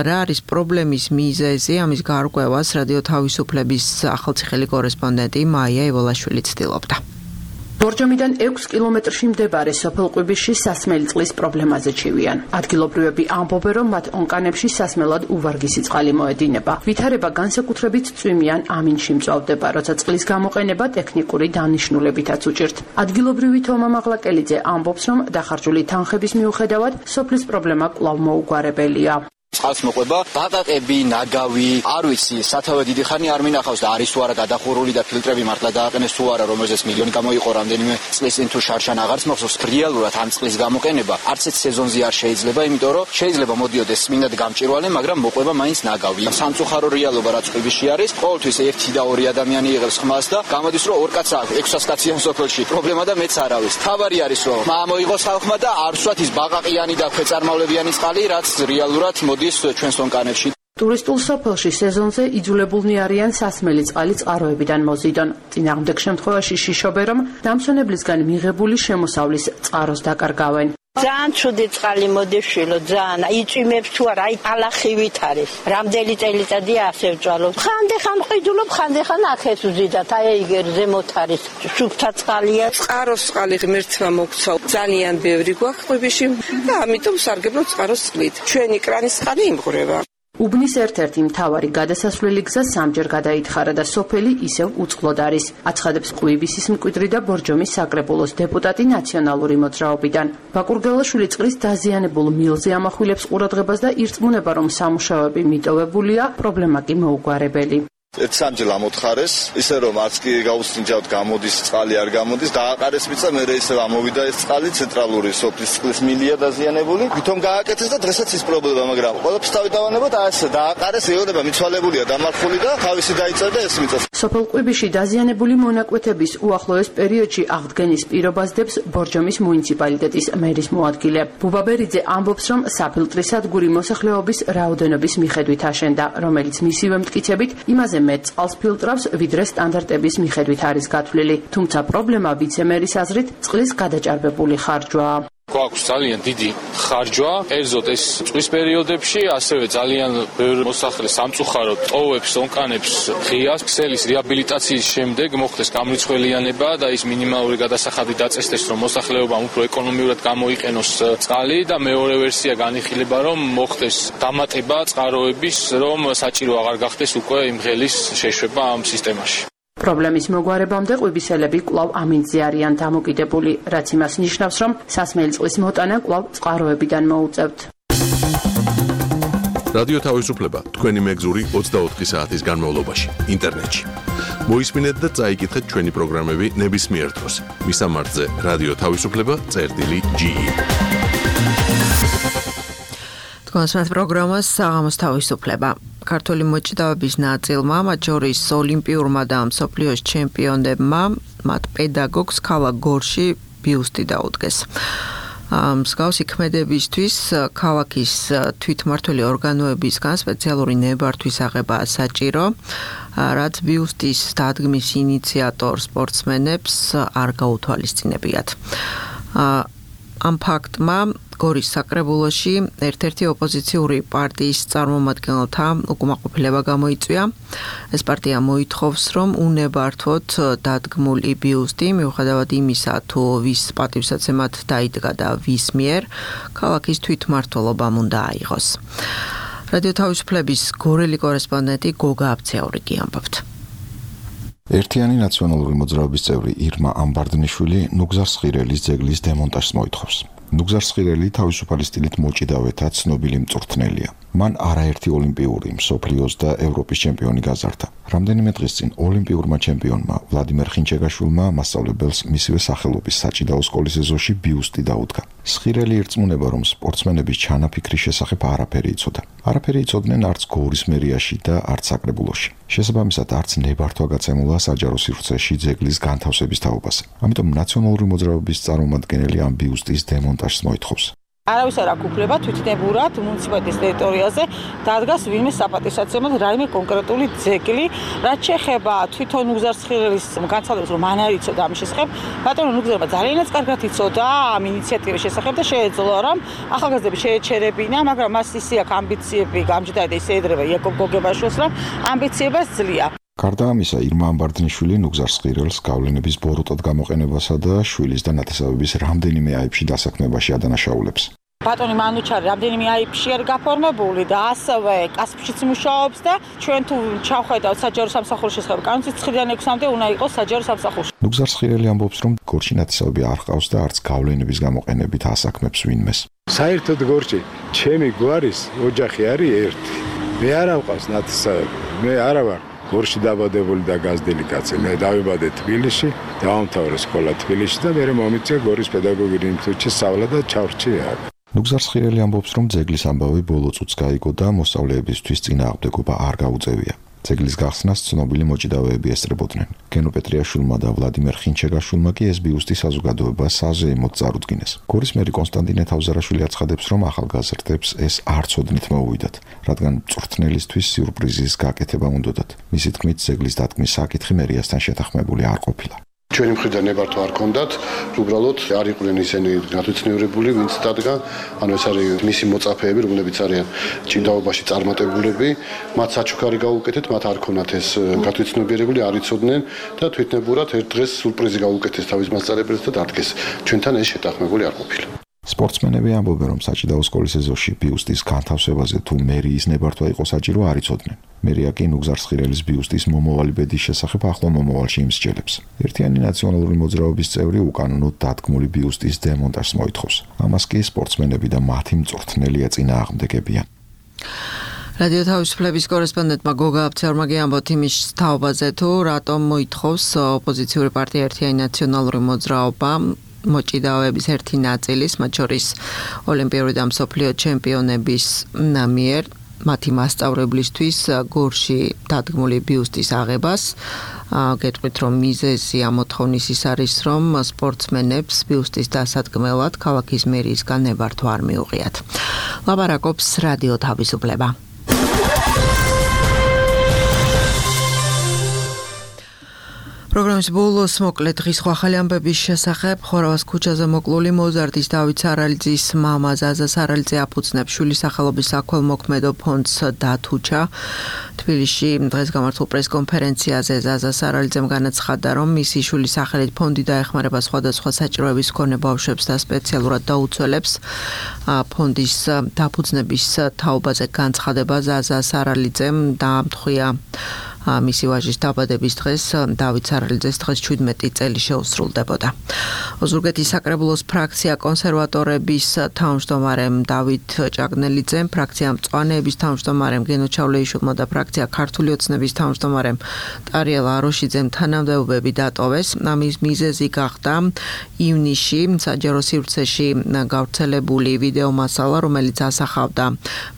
რა არის პრობლემის მიზეზი? ამის გარკვევას რადიო თავისუფლების ახალციხელი კორესპონდენტი მაია ევოლაშვილი ცდილობდა. ბორჯომიდან 6 კილომეტრში მდებარე სოფელ ყვიბისში სასმელი წყლის პრობლემაზე ჩივიან. ადგილობრივები ამბობენ, რომ მათ ონკანებში სასმელად უვარგისი წყალი მოედინება. ვითარება განსაკუთრებით წვიმიან ამინში მწვავდება, როცა წყლის გამოყენება ტექნიკური დანიშნულებითაც უჭირთ. ადგილობრივი თომა მაღლაკელიძე ამბობს, რომ დახარჯული თანხების მიუხედავად სოფლის პრობლემა კვლავ მოუგვარებელია. წყალს მოყვება, ბაყაყები, ნაგავი, არ ვიცი, სათავე დიდი ხანი არ მინახავს და არის თუ არა გადახურული და ფილტრები მართლა დააყენეს თუ არა, რომელზეც მილიონი გამოიყო რამდენიმე წლის წინ თუ შარშან აღარც მახსოვს. რეალურად ამ წყლის გამოყენება არც ერთ სეზონზე არ შეიძლება, იმიტომ რომ შეიძლება მოდიოდეს წმინდად გამჭვირვალე, მაგრამ მოყვება მაინც ნაგავი. სამწუხარო რეალობა რაც ყვიბისში არის, ყოველთვის 1 და 2 ადამიანი იღებს ხმას და გამოდის რომ 2 კაცს აქვს 600 კაციან სოფელში. პრობლემა და მეც არ არის. თავარი არის რომ მოიღოს ხალხმა და არ ვსვათ ის ბაყაყიანი და ქვეწარმავლებიანი წყალი, რაც რეალურად ჩვენს ონკანებში. ტურისტულ სოფელში სეზონზე იძულებულნი არიან სასმელი წყალი წყაროებიდან მოზიდონ. წინააღმდეგ შემთხვევაში შიშობენ, რომ დამსვენებლისგან მიღებული შემოსავლის წყაროს დაკარგავენ. ძალიან ცუდი წყალი მოდის შილო, ძალიან იწვიმებს თუ არა, აი ალახივით არის. რამდენი წელიწადია ასე ვჭვალობ. ხანდახან ყიდულობ, ხანდახან აქეთ ვზიდათ, აი ეგერ ზემოთ არის. სუფთა წყალია. წყაროს წყალი ღმერთმა მოგცა. ძალიან ბევრი გვაქვს ყვიბისში და ამიტომ სარგებლობ წყაროს წყლით. ჩვენი კრანის წყალი იმღვრება. უბნის ერთ-ერთი მთავარი გადასასვლელი გზა სამჯერ გადაითხარა და სოფელი ისევ უწყლოდ არის. აცხადებს ყვიბისის მკვიდრი და ბორჯომის საკრებულოს დეპუტატი ნაციონალური მოძრაობიდან. ბაკურგელაშვილი წყლის დაზიანებულ მილზე ამახვილებს ყურადღებას და ირწმუნება, რომ სამუშაოები მიტოვებულია, პრობლემა კი მოუგვარებელი. ერთ-სამჯერ ამოთხარეს, ისე რომ არც კი გაუსინჯავთ, გამოდის წყალი არ გამოდის, დააყარეს მიწა, მერე ისევ ამოვიდა ეს წყალი, ცენტრალური სოფლის წყლის მილია დაზიანებული. ვითომ გააკეთეს და დღესაც ის პრობლემა, მაგრამ ყველაფერს თავი დავანებოთ, ასე დააყარეს, ეორება მიცვალებულია, დამარხული და თავისი დაიწერდა ეს მიწა. სოფელ ყვიბისში დაზიანებული მონაკვეთების უახლოეს პერიოდში აღდგენის პირობას დებს ბორჯომის მუნიციპალიტეტის მერის მოადგილე. ბუბაბერიძე ამბობს, რომ საფილტრისადგური მოსახლეობის რაოდენობის მიხედვით აშენდა, რომელიც მისივე მტკიცებით იმაზე მეტ წყალს ფილტრავს, ვიდრე სტანდარტების მიხედვით არის გათვლილი. თუმცა პრობლემა ვიცემერის აზრით წყლის გადაჭარბებული ხარჯვაა. გვაქვს ძალიან დიდი ხარჯვა, კერძოდ ეს წვის პერიოდებში, ასევე ძალიან ბევრი მოსახლე სამწუხაროდ ტოვებს, ონკანებს ღიას, ქსელის რეაბილიტაციის შემდეგ მოხდეს გამრიცხველიანება და ის მინიმალური გადასახადი დაწესდეს, რომ მოსახლეობამ უფრო ეკონომიურად გამოიყენოს წყალი და მეორე ვერსია განიხილება, რომ მოხდეს დამატება წყაროების, რომ საჭირო აღარ გახდეს უკვე იმ ღელის შეშვება ამ სისტემაში. პრობლემის მოგვარებამდე ყვიბისელები კვლავ ამინდზე არიან დამოკიდებული, რაც იმას ნიშნავს, რომ სასმელი წყლის მოტანა კვლავ წყაროებიდან მოუწევთ. რადიო თავისუფლება თქვენი მეგზური 24 საათის განმავლობაში ინტერნეტში. მოისმინეთ და წაიკითხეთ ჩვენი პროგრამები ნებისმიერ დროს. მისამართზე რადიო თავისუფლება.ge. თქვენს პროგრამას საღამოს თავისუფლება. ქართული მოჭიდავების ნაწილმა, მათ შორის ოლიმპიურმა და მსოფლიოს ჩემპიონებმა, მათ პედაგოგს ქალაქ გორში ბიუსტი დაუდგეს. მსგავსი ქმედებისთვის ქალაქის თვითმმართველი ორგანოებისგან სპეციალური ნებართვის აღებაა საჭირო, რაც ბიუსტის დადგმის ინიციატორ სპორტსმენებს არ გაუთვალისწინებიათ. ამ ფაქტმა გორის საკრებულოში ერთ-ერთი ოპოზიციური პარტიის წარმომადგენელთა უკმაყოფილება გამოიწვია. ეს პარტია მოითხოვს, რომ უნებართვოდ დადგმული ბიუსტი, მიუხედავად იმისა, თუ ვის პატივსაცემად დაიდგა და ვის მიერ, ქალაქის თვითმმართველობამ უნდა აიღოს. რადიო თავისუფლების გორელი კორესპონდენტი გოგა აბცეაურიგი ამბობთ. ერთიანი ნაციონალური მოძრაობის წევრი ირმა ამბარდნიშვილი ნუგზარ სხირელის ძეგლის დემონტაჟს მოითხოვს. ნუგზარ სხირელი თავისუფალი სტილით მოჭიდავეთა ცნობილი მწვრთნელია. მან არაერთი ოლიმპიური, მსოფლიოს და ევროპის ჩემპიონი გაზარდა. რამდენიმე დღის წინ ოლიმპიურმა ჩემპიონმა ვლადიმერ ხინჩეგაშვილმა მასწავლებელს მისივე სახელობის საჭიდაო სკოლის ეზოში ბიუსტი დაუდგა. სხირელი ირწმუნება, რომ სპორტსმენების ჩანაფიქრის შესახებ არაფერი იცოდა. არაფერი იცოდნენ არც გორის მერიაში და არც საკრებულოში. შესაბამისად, არც ნებართვა გაცემულა საჯარო სივრცეში ძეგლის განთავსების თაობაზე. ამიტომ ნაციონალური მოძრაობის წარმომადგენელი ამ ბიუსტის დემონტაჟს მოითხოვს. არავის არ აქვს უფლება თვითნებურად მუნიციპალიტეტის ტერიტორიაზე დადგას ვინმე საპატივსაცემად რაიმე კონკრეტული ძეგლი, რაც შეეხება თვითონ ნუგზარ სხირელის განცხადებას, რომ მან არ იცოდა ამის შესახებ, ბატონო ნუგზარმა ძალიანაც კარგად იცოდა ამ ინიციატივის შესახებ და შეეძლო, რომ ახალგაზრდები შეეჩერებინა, მაგრამ მას ისე აქვს ამბიციები გამჯდარი და ისე ეძრება იაკობ გოგებაშვილს, რომ ამბიციებას ძლია. გარდა ამისა, ირმა ამბარდნიშვილი ნუგზარ სხირელს გავლენების ბოროტად გამოყენებასა და შვილის და ნათესავების რამდენიმე აიბში დასაქმებაში ადანაშაულებს. ბატონი მანუჩარი რამდენიმე აიბში არის გაფორმებული და ასევე კასპშიც მუშაობს და ჩვენ თუ ჩავხედავთ საჯარო სამსახურის შესახებ კანონს 9-დან 6-მდე უნდა იყოს საჯარო სამსახურში. ნუგზარ სხირელი ამბობს, რომ გორში ნათესავები არ ჰყავს და არც გავლენების გამოყენებით ასაქმებს ვინმეს. საერთოდ გორში ჩემი გვარის ოჯახი არის ერთი. მე არ მყავს ნათესავები. მე არა ვარ გორში დაბადებული და გაზრდილი კაცი. მე დავიბადე თბილისში, დავამთავრე სკოლა თბილისში და მე მომიწია გორის პედაგოგიური ინსტიტუტში სწავლა და ჩავრჩი აქ. ნუგზარ სხირელი ამბობს, რომ ძეგლის ამბავი ბოლო წუთს გაიგო და მოსწავლეებისთვის წინააღმდეგობა არ გაუწევია. ძეგლის გახსნას ცნობილი მოჭიდავეები ესწრებოდნენ. გენო პეტრიაშვილმა და ვლადიმერ ხინჩეგაშვილმა კი ეს ბიუსტი საზოგადოება საზეიმოდ წარუდგინეს. გორის მერი კონსტანტინე თავზარაშვილი აცხადებს, რომ ახალგაზრდებს ეს არ ცოდნით მოუვიდათ, რადგან მწვრთნელისთვის სიურპრიზის გაკეთება უნდოდათ. მისი თქმით, ძეგლის დატკმის საკითხი მერიასთან შეთანხმებული არ ყოფილა. ჩვენი მხრიდან ნებართვა არ ქონდათ, უბრალოდ არ იყვნენ ისინი გათვითნიურებული, ვინც დადგა, ანუ ეს არის მისი მოწაფეები, რომლებიც არიან ჭიდაობაში წარმატებულები, მათ საჩუქარი გაუკეთეთ, მათ არ ქონათ ეს გათვითნიურებული, არ იცოდნენ და თვითნებურად ერთ დღეს სურპრიზი გაუკეთეს თავის მასწავლებელს და დადგეს. ჩვენთან ეს შეთანხმებული არ ყოფილა. სპორტსმენები ამბობენ, რომ საჭიდაო სკოლის ეზოში ბიუსტის განთავსებაზე თუ მერიის ნებართვა იყო საჭირო, არ იცოდნენ. მერია კი ნუგზარ სხირელის ბიუსტის მომავალი ბედის შესახებ ახლო მომავალში იმსჯელებს. ერთიანი ნაციონალური მოძრაობის წევრი უკანონოდ დადგმული ბიუსტის დემონტაჟს მოითხოვს. ამას კი სპორტსმენები და მათი მწვრთნელი ეწინააღმდეგებიან. რადიო თავისუფლების კორესპონდენტმა გოგა აფცერმა ამბობთ იმის თაობაზე, თუ რატომ მოითხოვს ოპოზიციური პარტია ერთიანი ნაციონალური მოძრაობა მოჭიდავეების ერთი ნაწილის, მათ შორის ოლიმპიური და მსოფლიო ჩემპიონების მიერ მათი მასწავლებლისთვის გორში დადგმული ბიუსტის აღებას. გეტყვით, რომ მიზეზი ამ მოთხოვნის ის არის, რომ სპორტსმენებს ბიუსტის დასადგმელად ქალაქის მერიისგან ნებართვა არ მიუღიათ. ლაპარაკობს რადიო თავისუფლება. პროგრამის ბოლოს მოკლედ დღის ახალი ამბების შესახებ ხორავას ქუჩაზე მოკლული მოზარდის დავით სარალიძის მამა ზაზა სარალიძე აფუძნებს შვილის სახელობის საქველმოქმედო ფონდს დათუჩა. თბილისში დღეს გამართულ პრესკონფერენციაზე ზაზა სარალიძემ განაცხადა, რომ მისი შვილის სახელით ფონდი დაეხმარება სხვადასხვა საჭიროების მქონე ბავშვებს და სპეციალურად დაუცველებს. ფონდის დაფუძნების თაობაზე განცხადება ზაზა სარალიძემ დაამტყვია მისი ვაჟის დაბადების დღეს დავით სარალიძეს დღეს 17 წელი შეუსრულდებოდა. ოზურგეთის საკრებულოს ფრაქცია კონსერვატორების თავმჯდომარემ დავით ჭაგნელიძემ, ფრაქცია მწვანეების თავმჯდომარემ გენო ჩავლეიშვილმა და ფრაქცია ქართული ოცნების თავმჯდომარემ ტარიელ აროშიძემ თანამდებობები დატოვეს. ამის მიზეზი გახდა ივნისში საჯარო სივრცეში გავრცელებული ვიდეო მასალა, რომელიც ასახავდა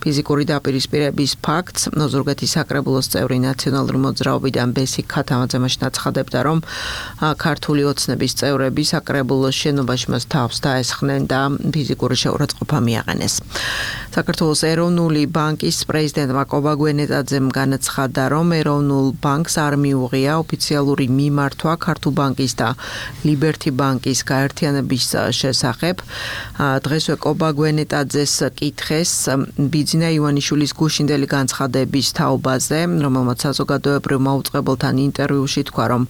ფიზიკური დაპირისპირების ფაქტს. ოზურგეთის საკრებულოს წევრი ნაციონალური მოძრაობიდან ბესი ქათამაძე მაშინ აცხადებდა, რომ ქართული ოცნების წევრები საკრებულოს შენობაში მას თავს დაესხნენ და ფიზიკური შეურაცხყოფა მიაყენეს. საქართველოს ეროვნული ბანკის პრეზიდენტმა კობა გვენეტაძემ განაცხადა, რომ ეროვნულ ბანკს არ მიუღია ოფიციალური მიმართვა ქართულ ბანკის და ლიბერთი ბანკის გაერთიანების შესახებ. დღესვე კობა გვენეტაძეს კითხეს ბიძინა ივანიშვილის გუშინდელი განცხადების თაობაზე, რომელმაც საზოგადოებრივ მაუწყებელთან ინტერვიუში თქვა, რომ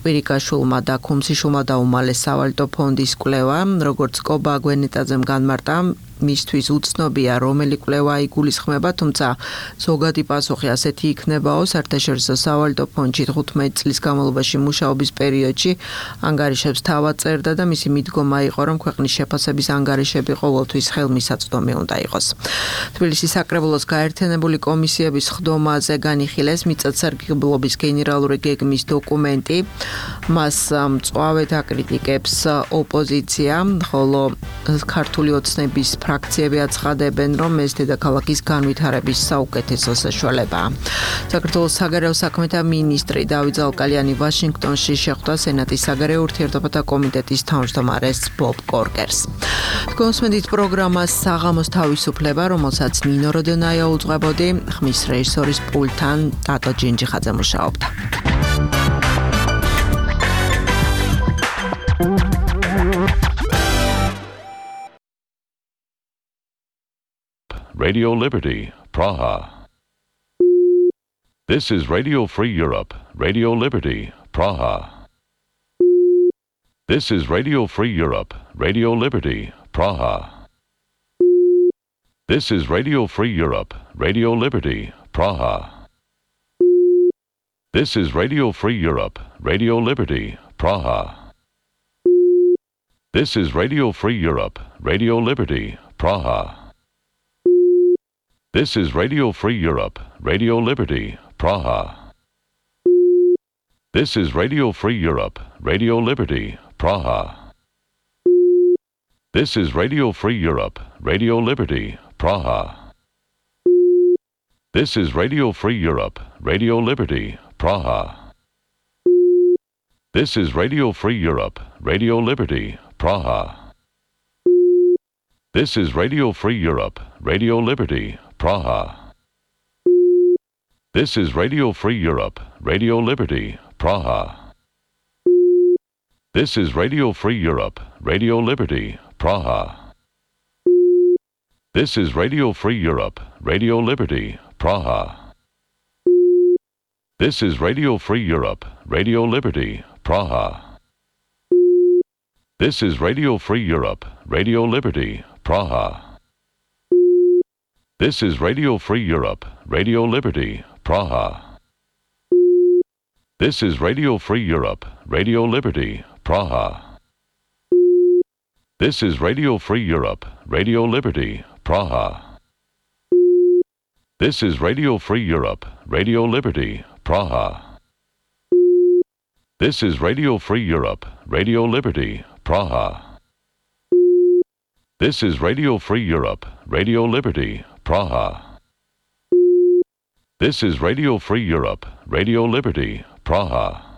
კვირიკაშვილმა და ქუმსიშვილმა დაუმალეს სავალუტო ფონდის კვლევა, როგორც კობა გვენეტაძემ განმარტა, მისთვის უცნობია, რომელი კვლევა იგულისხმება, თუმცა ზოგადი პასუხი ასეთი იქნებაო, საერთაშორისო სავალუტო ფონდში 15 წლის განმავლობაში მუშაობის პერიოდში ანგარიშებს თავად წერდა და მისი მიდგომა იყო, რომ ქვეყნის შეფასების ანგარიშები ყოველთვის ხელმისაწვდომი უნდა იყოს. თბილისის საკრებულოს გაერთიანებული კომისიების ხდომაზე განიხილეს მიწათსარგებლობის გენერალური გეგმის დოკუმენტი. მას მწვავედ აკრიტიკებს ოპოზიცია, ხოლო ქართული ოცნების ფრაქციები აცხადებენ, რომ ეს დედაქალაქის განვითარების საუკეთესო საშუალებაა. საქართველოს საგარეო საქმეთა მინისტრი დავით ზალკალიანი ვაშინგტონში შეხვდა სენატის საგარეო ურთიერთობათა კომიტეტის თავმჯდომარეს ბობ კორკერს. კონსმენდით პროგრამას საღამოს თავისუფლება, რომელსაც ნინო როდონაია უძღვებოდი, ხმის რეჟისორის პულტთან ტატო ჯინჯიხაძე მუშაობდა. Radio Liberty, Praha. This is Radio Free Europe, Radio Liberty, Praha. This is Radio Free Europe, Radio Liberty, Praha. This is Radio Free Europe, Radio Liberty, Praha. This is Radio Free Europe, Radio Liberty, Praha. This is Radio Free Europe, Radio Liberty, Praha. This is Radio Free Europe, Radio Liberty, Praha. This is Radio Free Europe, Radio Liberty, Praha. This is Radio Free Europe, Radio Liberty, Praha. This is Radio Free Europe, Radio Liberty, Praha. This is Radio Free Europe, Radio Liberty, Praha. This is Radio Free Europe, Radio Liberty, Praha. This is Radio Free Europe, Radio Liberty, Praha. This is Radio Free Europe, Radio Liberty, Praha. This is Radio Free Europe, Radio Liberty, Praha. This is Radio Free Europe, Radio Liberty, Praha. This is Radio Free Europe, Radio Liberty, Praha. This is Radio Free Europe, Radio Liberty, Praha. This is Radio Free Europe, Radio Liberty, Praha. This is Radio Free Europe, Radio Liberty, Praha. This is Radio Free Europe, Radio Liberty, Praha. This is Radio Free Europe, Radio Liberty, Praha. This is Radio Free Europe, Radio Liberty, Praha.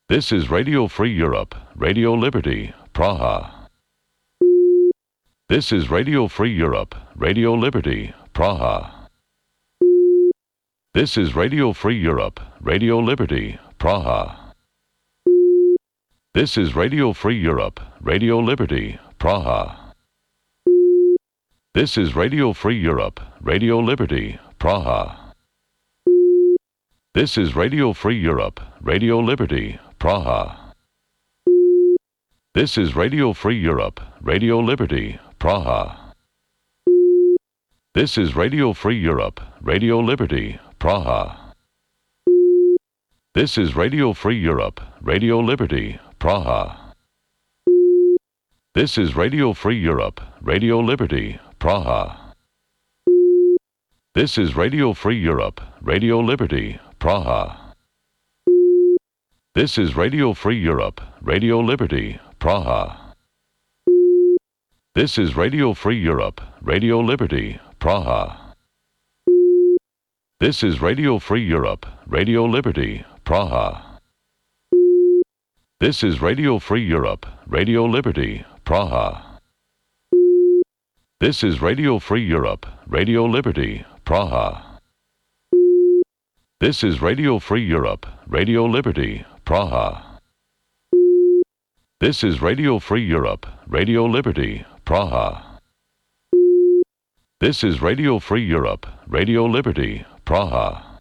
This is Radio Free Europe, Radio Liberty, Praha. This is Radio Free Europe, Radio Liberty, Praha. This is Radio Free Europe, Radio Liberty, Praha. This is Radio Free Europe, Radio Liberty, Praha. This is Radio Free Europe, Radio Liberty, Praha. This is Radio Free Europe, Radio Liberty, Praha. This is Radio Free Europe, Radio Liberty, Praha. This is Radio Free Europe, Radio Liberty, Praha. This is Radio Free Europe, Radio Liberty, Praha. This is Radio Free Europe, Radio Liberty, Praha. This is Radio Free Europe, Radio Liberty, Praha. This is Radio Free Europe, Radio Liberty, Praha. This is Radio Free Europe, Radio Liberty, Praha. This is Radio Free Europe, Radio Liberty, Praha. This is Radio Free Europe, Radio Liberty, Praha. This is Radio Free Europe, Radio Liberty, Praha. This is Radio Free Europe, Radio Liberty, Praha. This is Radio Free Europe, Radio Liberty, Praha. This is Radio Free Europe, Radio Liberty, Praha. This is Radio Free Europe, Radio Liberty, Praha.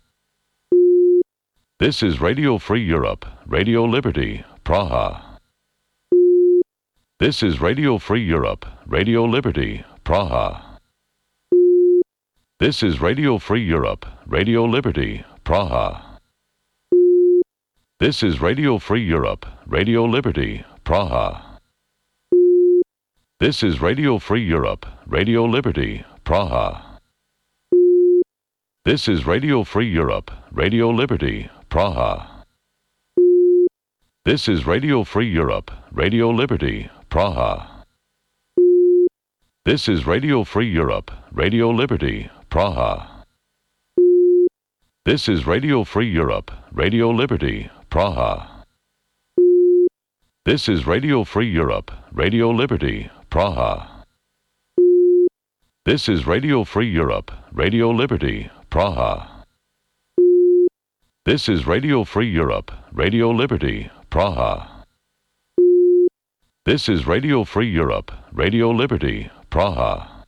This is Radio Free Europe, Radio Liberty, Praha. This is Radio Free Europe, Radio Liberty, Praha. This is Radio Free Europe, Radio Liberty, Praha. This is Radio Free Europe, Radio Liberty, Praha. This is Radio Free Europe, Radio Liberty, Praha. This is Radio Free Europe, Radio Liberty, Praha. This is Radio Free Europe, Radio Liberty, Praha. This is Radio Free Europe, Radio Liberty, Praha. This is Radio Free Europe, Radio Liberty, Praha. This is Radio Free Europe, Radio Liberty, Praha. This is Radio Free Europe, Radio Liberty, Praha. This is Radio Free Europe, Radio Liberty, Praha. This is Radio Free Europe, Radio Liberty, Praha.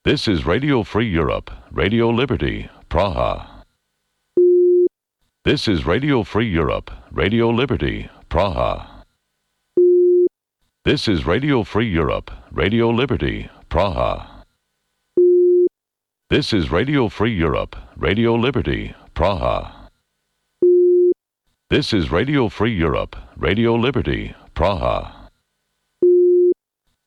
This is Radio Free Europe, Radio Liberty, Praha. This is Radio Free Europe, Radio Liberty, Praha. This is Radio Free Europe, Radio Liberty, Praha. This is Radio Free Europe, Radio Liberty, Praha. This is Radio Free Europe, Radio Liberty, Praha.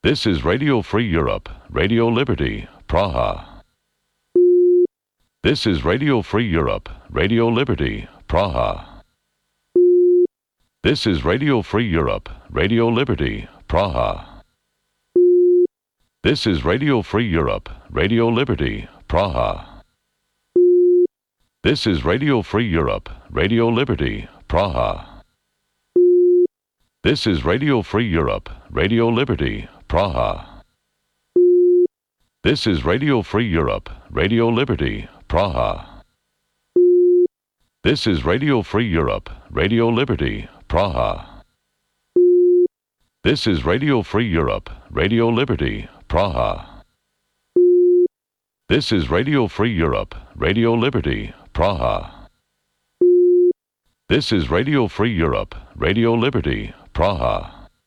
This is Radio Free Europe, Radio Liberty, Praha. This is Radio Free Europe, Radio Liberty, Praha. This is Radio Free Europe, Radio Liberty, Praha. This is Radio Free Europe, Radio Liberty, Praha. This is Radio Free Europe, Radio Liberty, Praha. This is Radio Free Europe, Radio Liberty, Praha. This is Radio Free Europe, Radio Liberty, Praha. This is Radio Free Europe, Radio Liberty, Praha. This is Radio Free Europe, Radio Liberty, Praha. This is Radio Free Europe, Radio Liberty, Praha. This is Radio Free Europe, Radio Liberty, Praha.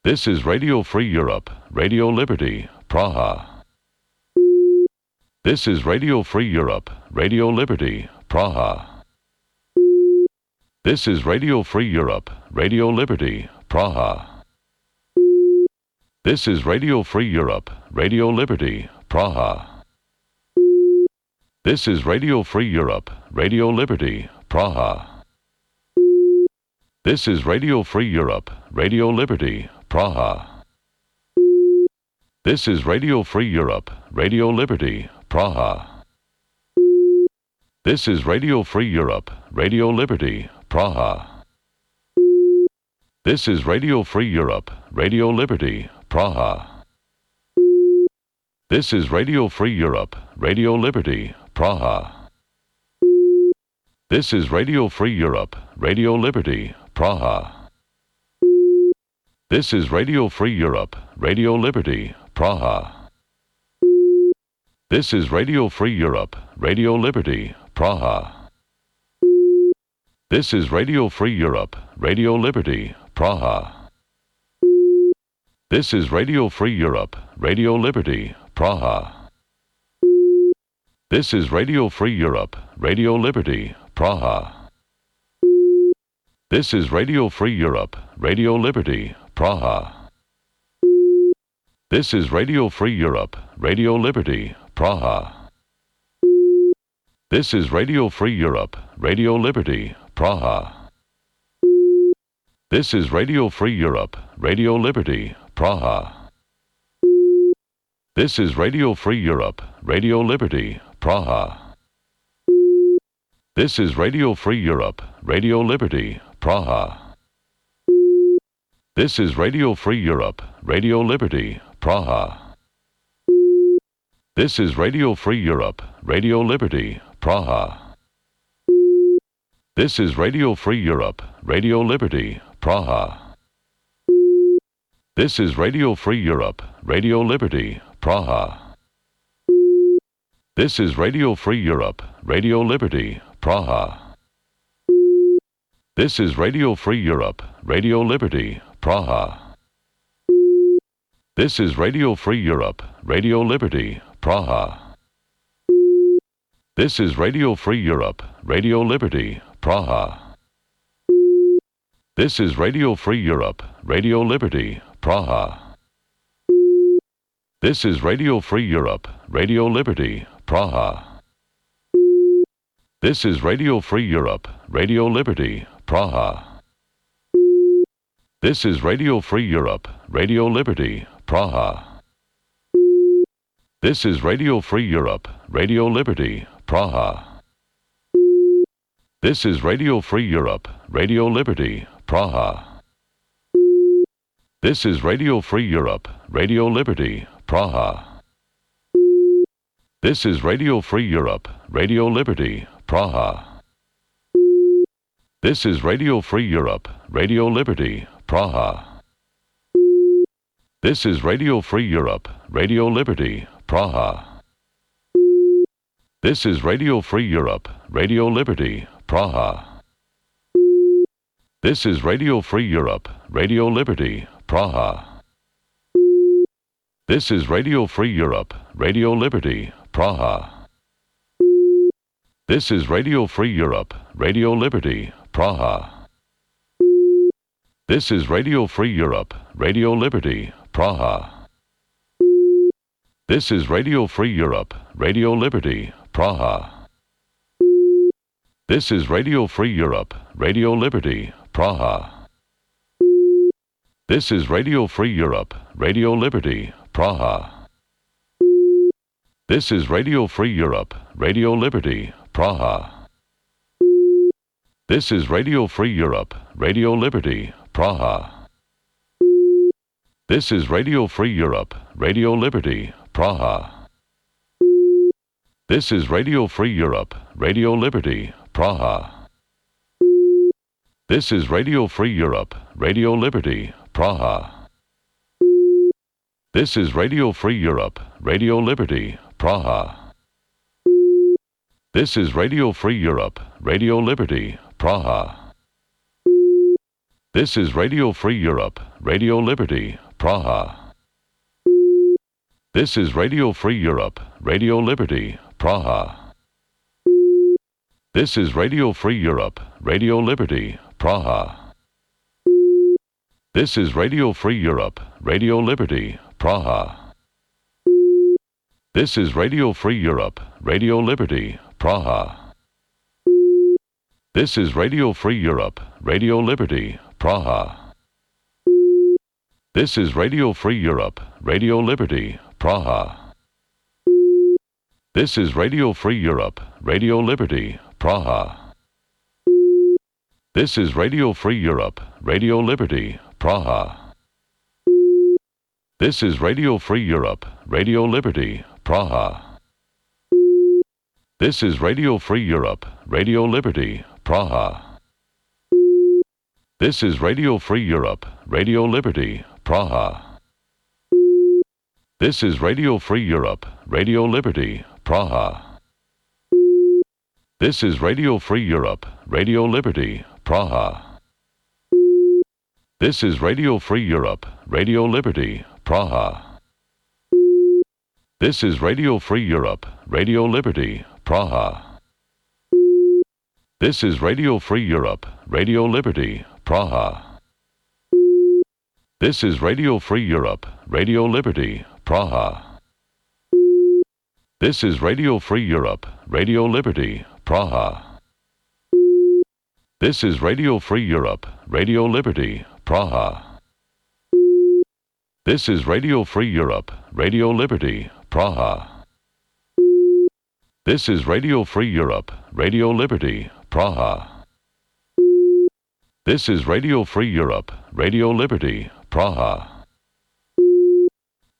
This is Radio Free Europe, Radio Liberty, Praha. This is Radio Free Europe, Radio Liberty, Praha. This is Radio Free Europe, Radio Liberty, Praha. This is Radio Free Europe, Radio Liberty, Praha. This is Radio Free Europe, Radio Liberty, Praha. This is Radio Free Europe, Radio Liberty, Praha. This is Radio Free Europe, Radio Liberty, Praha. This is Radio Free Europe, Radio Liberty, Praha. This is Radio Free Europe, Radio Liberty, Praha. This is Radio Free Europe, Radio Liberty, Praha. This is Radio Free Europe, Radio Liberty, Praha. This is Radio Free Europe, Radio Liberty, Praha. This is Radio Free Europe, Radio Liberty, Praha. This is Radio Free Europe, Radio Liberty, Praha. This is Radio Free Europe, Radio Liberty, Praha. This is Radio Free Europe, Radio Liberty, Praha. This is Radio Free Europe, Radio Liberty, Praha. This is Radio Free Europe, Radio Liberty, Praha. This is Radio Free Europe, Radio Liberty, Praha. This is Radio Free Europe, Radio Liberty, Praha. This is Radio Free Europe, Radio Liberty, Praha. This is Radio Free Europe, Radio Liberty, Praha. This is Radio Free Europe, Radio Liberty, Praha. This is Radio Free Europe, Radio Liberty, Praha. This is Radio Free Europe, Radio Liberty, Praha. This is Radio Free Europe, Radio Liberty, Praha. This is Radio Free Europe, Radio Liberty, Praha. This is Radio Free Europe, Radio Liberty, Praha. This is Radio Free Europe, Radio Liberty, Praha. This is Radio Free Europe, Radio Liberty, Praha. This is Radio Free Europe, Radio Liberty, Praha. This is Radio Free Europe, Radio Liberty, Praha. This is Radio Free Europe, Radio Liberty, Praha. This is Radio Free Europe, Radio Liberty, Praha. This is Radio Free Europe, Radio Liberty, Praha. This is Radio Free Europe, Radio Liberty, Praha. This is Radio Free Europe, Radio Liberty, Praha. This is Radio Free Europe, Radio Liberty, Praha. This is Radio Free Europe, Radio Liberty, Praha. This is Radio Free Europe, Radio Liberty, Praha. This is Radio Free Europe, Radio Liberty, Praha. This is Radio Free Europe, Radio Liberty, Praha. This is Radio Free Europe, Radio Liberty, Praha. This is Radio Free Europe, Radio Liberty, Praha. This is Radio Free Europe, Radio Liberty, Praha. This is Radio Free Europe, Radio Liberty, Praha. This is Radio Free Europe, Radio Liberty, Praha. This is Radio Free Europe, Radio Liberty, Praha. This is Radio Free Europe, Radio Liberty, Praha. This is Radio Free Europe, Radio Liberty, Praha. This is Radio Free Europe, Radio Liberty, Praha. This is Radio Free Europe, Radio Liberty, Praha. This is Radio Free Europe, Radio Liberty, Praha. This is Radio Free Europe, Radio Liberty, Praha. This is Radio Free Europe, Radio Liberty, Praha. This is Radio Free Europe, Radio Liberty, Praha. This is Radio Free Europe, Radio Liberty, Praha. This is Radio Free Europe, Radio Liberty, Praha. This is Radio Free Europe, Radio Liberty, Praha. This is Radio Free Europe, Radio Liberty, Praha. This is Radio Free Europe, Radio Liberty, Praha. This is Radio Free Europe, Radio Liberty, Praha. This is Radio Free Europe, Radio Liberty, Praha. This is Radio Free Europe, Radio Liberty, Praha. This is Radio Free Europe, Radio Liberty, Praha. This is Radio Free Europe, Radio Liberty, Praha. This is Radio Free Europe, Radio Liberty, Praha. This is Radio Free Europe, Radio Liberty, Praha. This is Radio Free Europe, Radio Liberty, Praha. This is Radio Free Europe, Radio Liberty, Praha. This is Radio Free Europe, Radio Liberty, Praha. This is Radio Free Europe, Radio Liberty, Praha. This is Radio Free Europe, Radio Liberty, Praha. This is Radio Free Europe, Radio Liberty, Praha. This is Radio Free Europe, Radio Liberty, Praha. This is Radio Free Europe, Radio Liberty, Praha. This is Radio Free Europe, Radio Liberty, Praha. This is Radio Free Europe, Radio Liberty, Praha.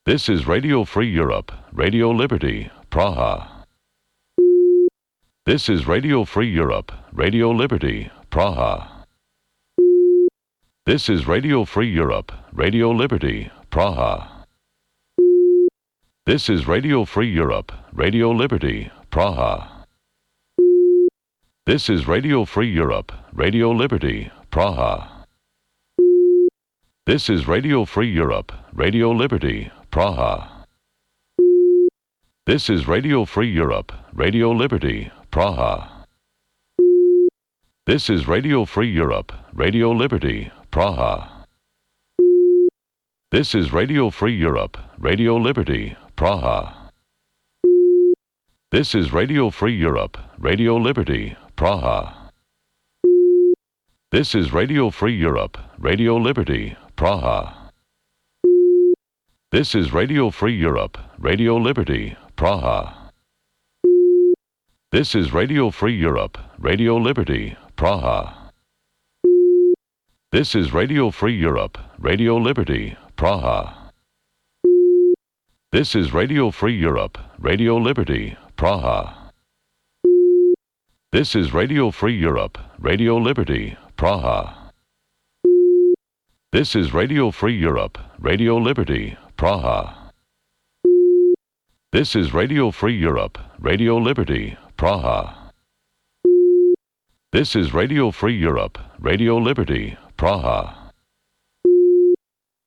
This is Radio Free Europe, Radio Liberty, Praha. This is Radio Free Europe, Radio Liberty, Praha. This is Radio Free Europe, Radio Liberty, Praha. This is Radio Free Europe, Radio Liberty, Praha. This is Radio Free Europe, Radio Liberty, Praha. This is Radio Free Europe, Radio Liberty, Praha. This is Radio Free Europe, Radio Liberty, Praha. This is Radio Free Europe, Radio Liberty, Praha. This is Radio Free Europe, Radio Liberty, Praha. This is Radio Free Europe, Radio Liberty, Praha. This is Radio Free Europe, Radio Liberty, Praha. This is Radio Free Europe, Radio Liberty, Praha. This is Radio Free Europe, Radio Liberty, Praha. This is Radio Free Europe, Radio Liberty, Praha. This is Radio Free Europe, Radio Liberty, Praha. This is Radio Free Europe, Radio Liberty, Praha. This is Radio Free Europe, Radio Liberty, Praha. This is Radio Free Europe, Radio Liberty, Praha. This is Radio Free Europe, Radio Liberty, Praha.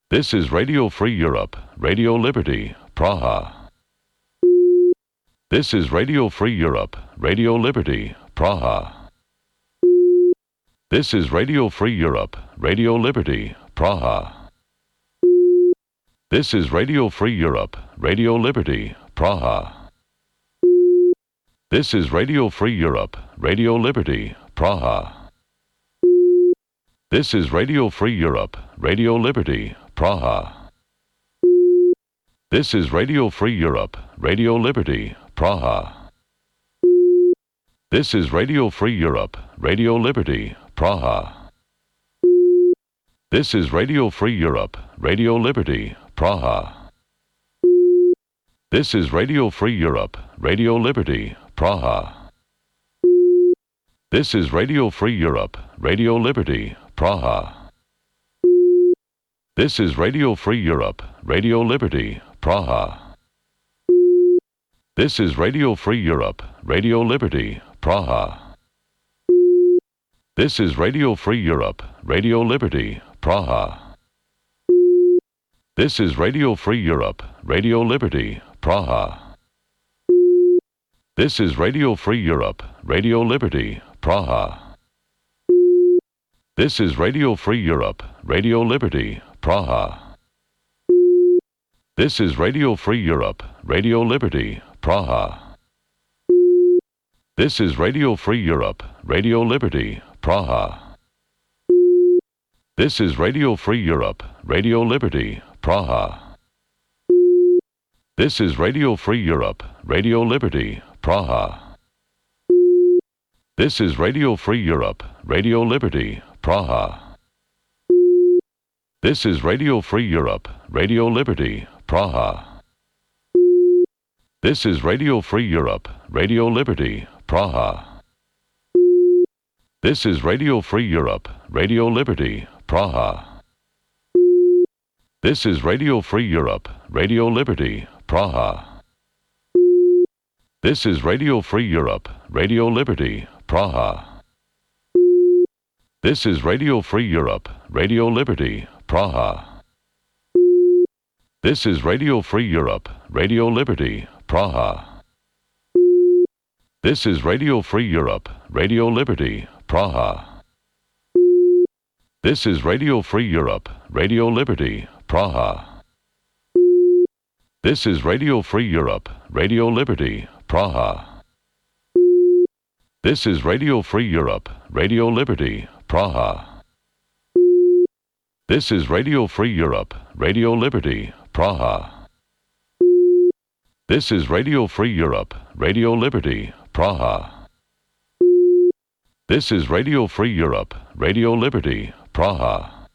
This is Radio Free Europe, Radio Liberty, Praha. This is Radio Free Europe, Radio Liberty, Praha. This is Radio Free Europe, Radio Liberty, Praha. This is Radio Free Europe, Radio Liberty, Praha. This is Radio Free Europe, Radio Liberty, Praha. This is Radio Free Europe, Radio Liberty, Praha. This is Radio Free Europe, Radio Liberty, Praha. This is Radio Free Europe, Radio Liberty, Praha. This is Radio Free Europe, Radio Liberty, Praha. This is Radio Free Europe, Radio Liberty, Praha. This is Radio Free Europe, Radio Liberty, Praha. This is Radio Free Europe, Radio Liberty, Praha. This is Radio Free Europe, Radio Liberty, Praha. This is Radio Free Europe, Radio Liberty, Praha. This is Radio Free Europe, Radio Liberty, Praha. This is Radio Free Europe, Radio Liberty, Praha. This is Radio Free Europe, Radio Liberty, Praha. This is Radio Free Europe, Radio Liberty, Praha. This is Radio Free Europe, Radio Liberty, Praha. This is Radio Free Europe, Radio Liberty, Praha. This is Radio Free Europe, Radio Liberty, Praha. This is Radio Free Europe, Radio Liberty, Praha. This is Radio Free Europe, Radio Liberty, Praha. This is Radio Free Europe, Radio Liberty, Praha. This is Radio Free Europe, Radio Liberty, Praha. This is Radio Free Europe, Radio Liberty, Praha. This is Radio Free Europe, Radio Liberty, Praha. This is Radio Free Europe, Radio Liberty, Praha. This is Radio Free Europe, Radio Liberty, Praha. This is Radio Free Europe, Radio Liberty, Praha. This is Radio Free Europe, Radio Liberty, Praha. This is Radio Free Europe, Radio Liberty, Praha. This is Radio Free Europe, Radio Liberty, Praha. This is Radio Free Europe, Radio Liberty, Praha. This is Radio Free Europe, Radio Liberty, Praha. This is Radio Free Europe, Radio Liberty, Praha.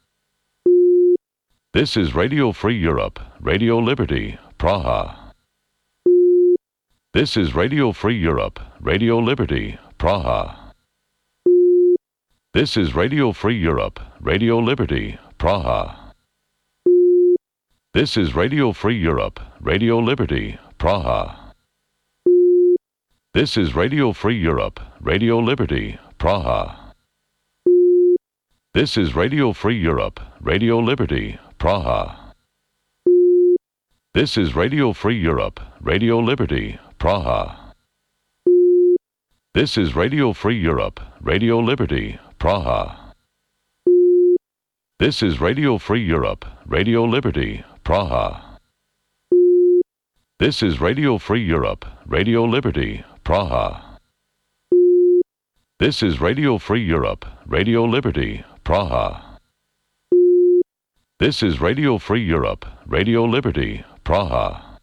This is Radio Free Europe, Radio Liberty, Praha. This is Radio Free Europe, Radio Liberty, Praha. This is Radio Free Europe, Radio Liberty, Praha. This is Radio Free Europe, Radio Liberty, Praha. This is Radio Free Europe, Radio Liberty, Praha. This is Radio Free Europe, Radio Liberty, Praha. This is Radio Free Europe, Radio Liberty, Praha. This is Radio Free Europe, Radio Liberty, Praha. This is Radio Free Europe, Radio Liberty, Praha. This is Radio Free Europe, Radio Liberty, Praha. This is Radio Free Europe, Radio Liberty, Praha. This is Radio Free Europe, Radio Liberty, Praha.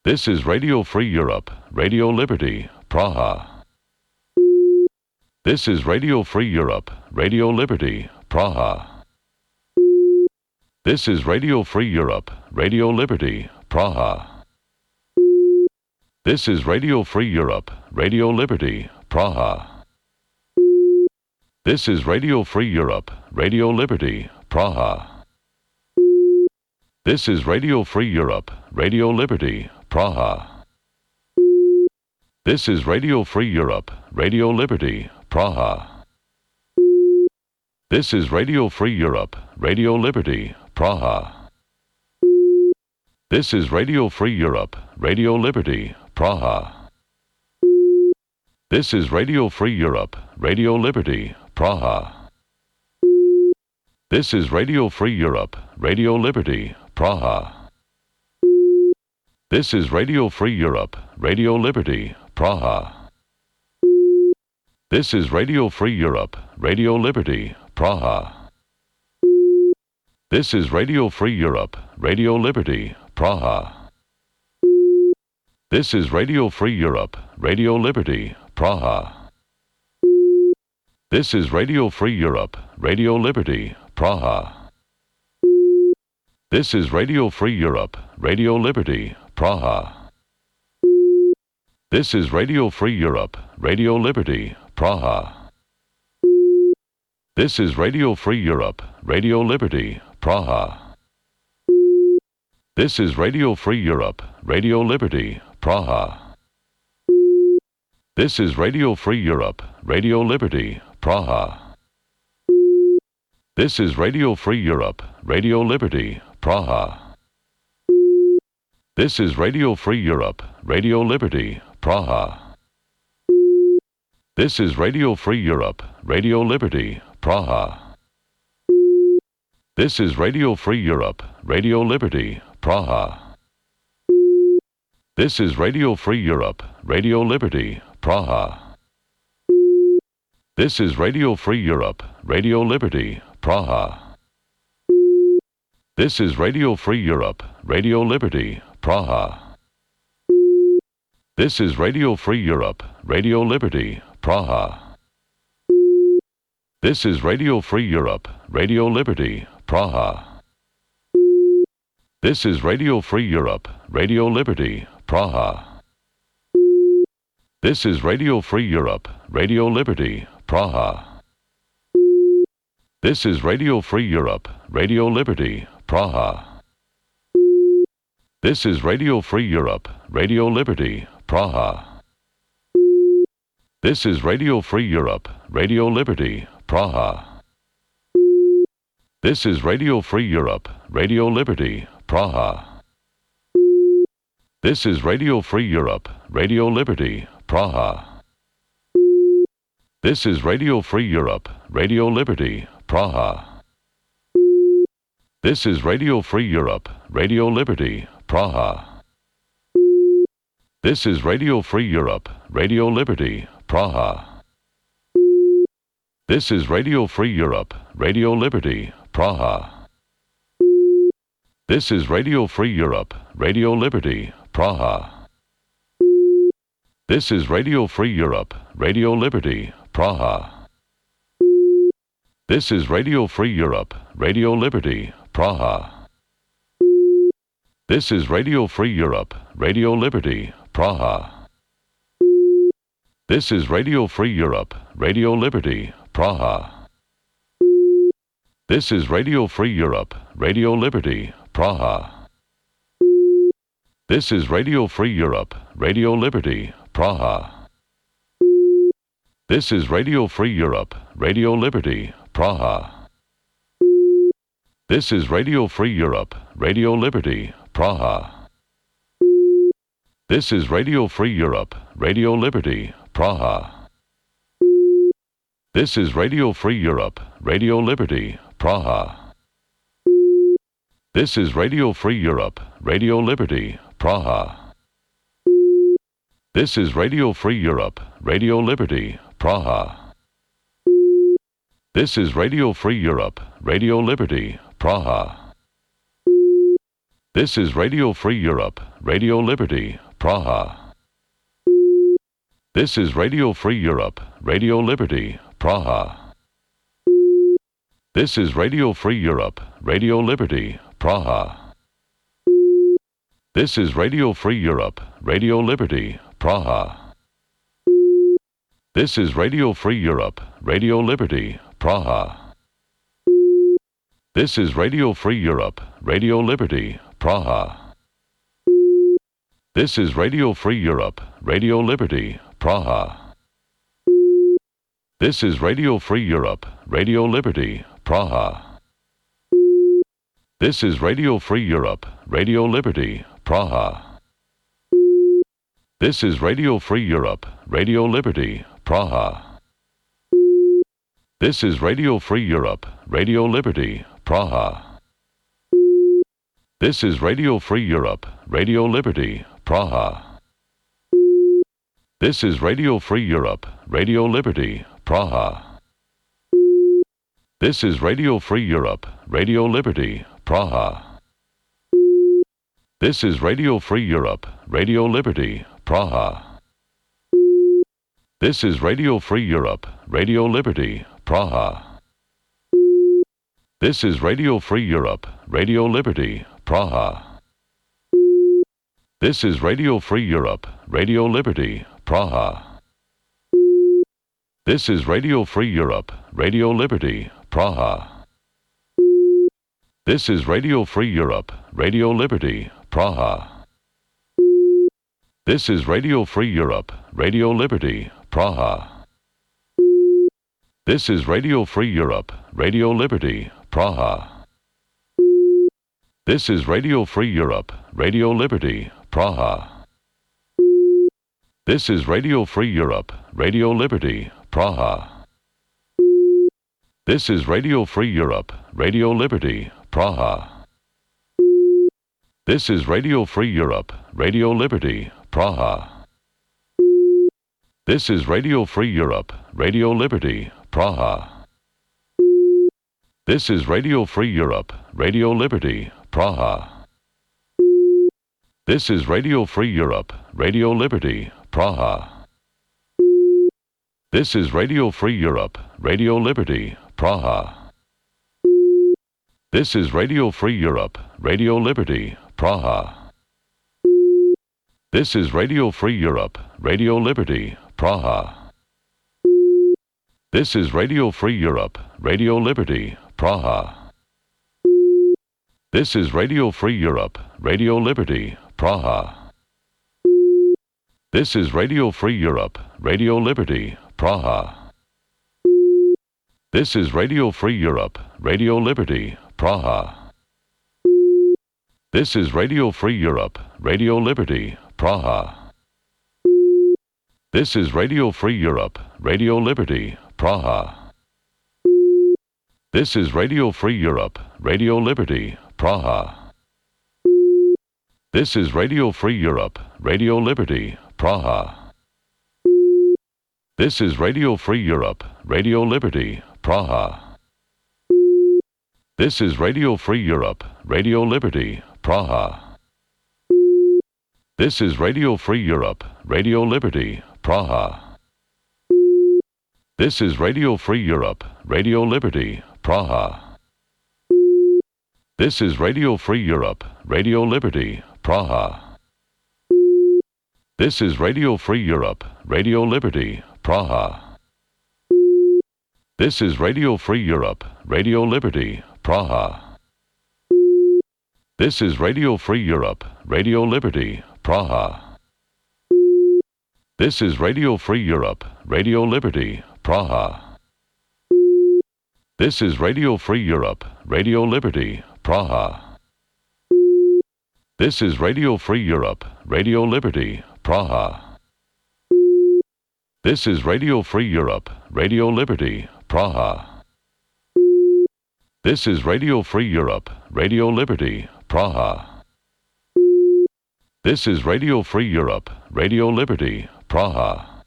This is Radio Free Europe, Radio Liberty, Praha. This is Radio Free Europe, Radio Liberty, Praha. This is Radio Free Europe, Radio Liberty, Praha. This is Radio Free Europe, Radio Liberty, Praha. This is Radio Free Europe, Radio Liberty, Praha. This is Radio Free Europe, Radio Liberty, Praha. This is Radio Free Europe, Radio Liberty, Praha. This is Radio Free Europe, Radio Liberty, Praha. This is Radio Free Europe, Radio Liberty, Praha. This is Radio Free Europe, Radio Liberty, Praha. This is Radio Free Europe, Radio Liberty, Praha. This is Radio Free Europe, Radio Liberty, Praha. This is Radio Free Europe, Radio Liberty, Praha. This is Radio Free Europe, Radio Liberty, Praha. This is Radio Free Europe, Radio Liberty, Praha. This is Radio Free Europe, Radio Liberty, Praha. This is Radio Free Europe, Radio Liberty, Praha. This is Radio Free Europe, Radio Liberty, Praha. This is Radio Free Europe, Radio Liberty, Praha. This is Radio Free Europe, Radio Liberty, Praha. This is Radio Free Europe, Radio Liberty, Praha. This is Radio Free Europe, Radio Liberty, Praha. This is Radio Free Europe, Radio Liberty, Praha. This is Radio Free Europe, Radio Liberty, Praha. This is Radio Free Europe, Radio Liberty, Praha. This is Radio Free Europe, Radio Liberty, Praha. This is Radio Free Europe, Radio Liberty, Praha. This is Radio Free Europe, Radio Liberty, Praha. This is Radio Free Europe, Radio Liberty, Praha. This is Radio Free Europe, Radio Liberty, Praha. This is Radio Free Europe, Radio Liberty, Praha. This is Radio Free Europe, Radio Liberty, Praha. This is Radio Free Europe, Radio Liberty, Praha. This is Radio Free Europe, Radio Liberty, Praha. This is Radio Free Europe, Radio Liberty, Praha. This is Radio Free Europe, Radio Liberty, Praha. This is Radio Free Europe, Radio Liberty, Praha. This is Radio Free Europe, Radio Liberty, Praha. This is Radio Free Europe, Radio Liberty, Praha. This is Radio Free Europe, Radio Liberty, Praha. This is Radio Free Europe, Radio Liberty, Praha. This is Radio Free Europe, Radio Liberty, Praha. This is Radio Free Europe, Radio Liberty, Praha. This is Radio Free Europe, Radio Liberty, Praha. This is Radio Free Europe, Radio Liberty, Praha. This is Radio Free Europe, Radio Liberty, Praha. This is Radio Free Europe, Radio Liberty, Praha. This is Radio Free Europe, Radio Liberty, Praha. This is Radio Free Europe, Radio Liberty, Praha. This is Radio Free Europe, Radio Liberty, Praha. This is Radio Free Europe, Radio Liberty, Praha. This is Radio Free Europe, Radio Liberty, Praha. This is Radio Free Europe, Radio Liberty, Praha. This is Radio Free Europe, Radio Liberty, Praha. This is Radio Free Europe, Radio Liberty, Praha. This is Radio Free Europe, Radio Liberty, Praha. This is Radio Free Europe, Radio Liberty, Praha. This is Radio Free Europe, Radio Liberty, Praha. This is Radio Free Europe, Radio Liberty, Praha. This is Radio Free Europe, Radio Liberty, Praha. This is Radio Free Europe, Radio Liberty, Praha. This is Radio Free Europe, Radio Liberty, Praha. This is Radio Free Europe, Radio Liberty, Praha. This is Radio Free Europe, Radio Liberty, Praha. This is Radio Free Europe, Radio Liberty, Praha. This is Radio Free Europe, Radio Liberty, Praha. This is Radio Free Europe, Radio Liberty, Praha. This is Radio Free Europe, Radio Liberty, Praha. This is Radio Free Europe, Radio Liberty, Praha. This is Radio Free Europe, Radio Liberty, Praha. This is Radio Free Europe, Radio Liberty, Praha. This is Radio Free Europe, Radio Liberty, Praha. This is Radio Free Europe, Radio Liberty, Praha. This is Radio Free Europe, Radio Liberty, Praha. This is Radio Free Europe, Radio Liberty, Praha. This is Radio Free Europe, Radio Liberty, Praha. This is Radio Free Europe, Radio Liberty, Praha. This is Radio Free Europe, Radio Liberty, Praha. This is Radio Free Europe, Radio Liberty, Praha. This is Radio Free Europe, Radio Liberty, Praha. This is Radio Free Europe, Radio Liberty, Praha. This is Radio Free Europe, Radio Liberty, Praha. This is Radio Free Europe, Radio Liberty, Praha. This is Radio Free Europe, Radio Liberty, Praha. This is Radio Free Europe, Radio Liberty, Praha. This is Radio Free Europe, Radio Liberty, Praha. This is Radio Free Europe, Radio Liberty, Praha. This is Radio Free Europe, Radio Liberty, Praha. This is Radio Free Europe, Radio Liberty, Praha. This is Radio Free Europe, Radio Liberty, Praha. This is Radio Free Europe, Radio Liberty, Praha. This is Radio Free Europe, Radio Liberty, Praha. This is Radio Free Europe, Radio Liberty, Praha. This is Radio Free Europe, Radio Liberty, Praha. This is Radio Free Europe, Radio Liberty, Praha. This is Radio Free Europe, Radio Liberty, Praha. This is Radio Free Europe, Radio Liberty, Praha. This is Radio Free Europe, Radio Liberty, Praha. This is Radio Free Europe, Radio Liberty, Praha. This is Radio Free Europe, Radio Liberty, Praha. This is Radio Free Europe, Radio Liberty, Praha. This is Radio Free Europe, Radio Liberty, Praha. This is Radio Free Europe, Radio Liberty, Praha. This is Radio Free Europe, Radio Liberty, Praha. This is Radio Free Europe, Radio Liberty, Praha. This is Radio Free Europe, Radio Liberty, Praha. This is Radio Free Europe, Radio Liberty, Praha. This is Radio Free Europe, Radio Liberty, Praha. This is Radio Free Europe, Radio Liberty, Praha.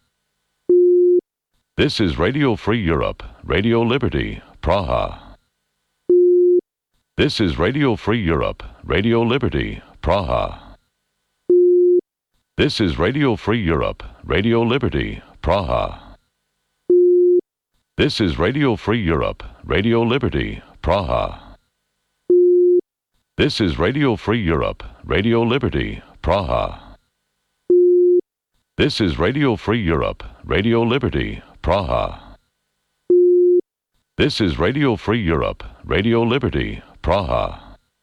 This is Radio Free Europe, Radio Liberty, Praha. This is Radio Free Europe, Radio Liberty, Praha. This is Radio Free Europe, Radio Liberty, Praha. This is Radio Free Europe, Radio Liberty, Praha. This is Radio Free Europe, Radio Liberty, Praha. This is Radio Free Europe, Radio Liberty, Praha. This is Radio Free Europe, Radio Liberty, Praha.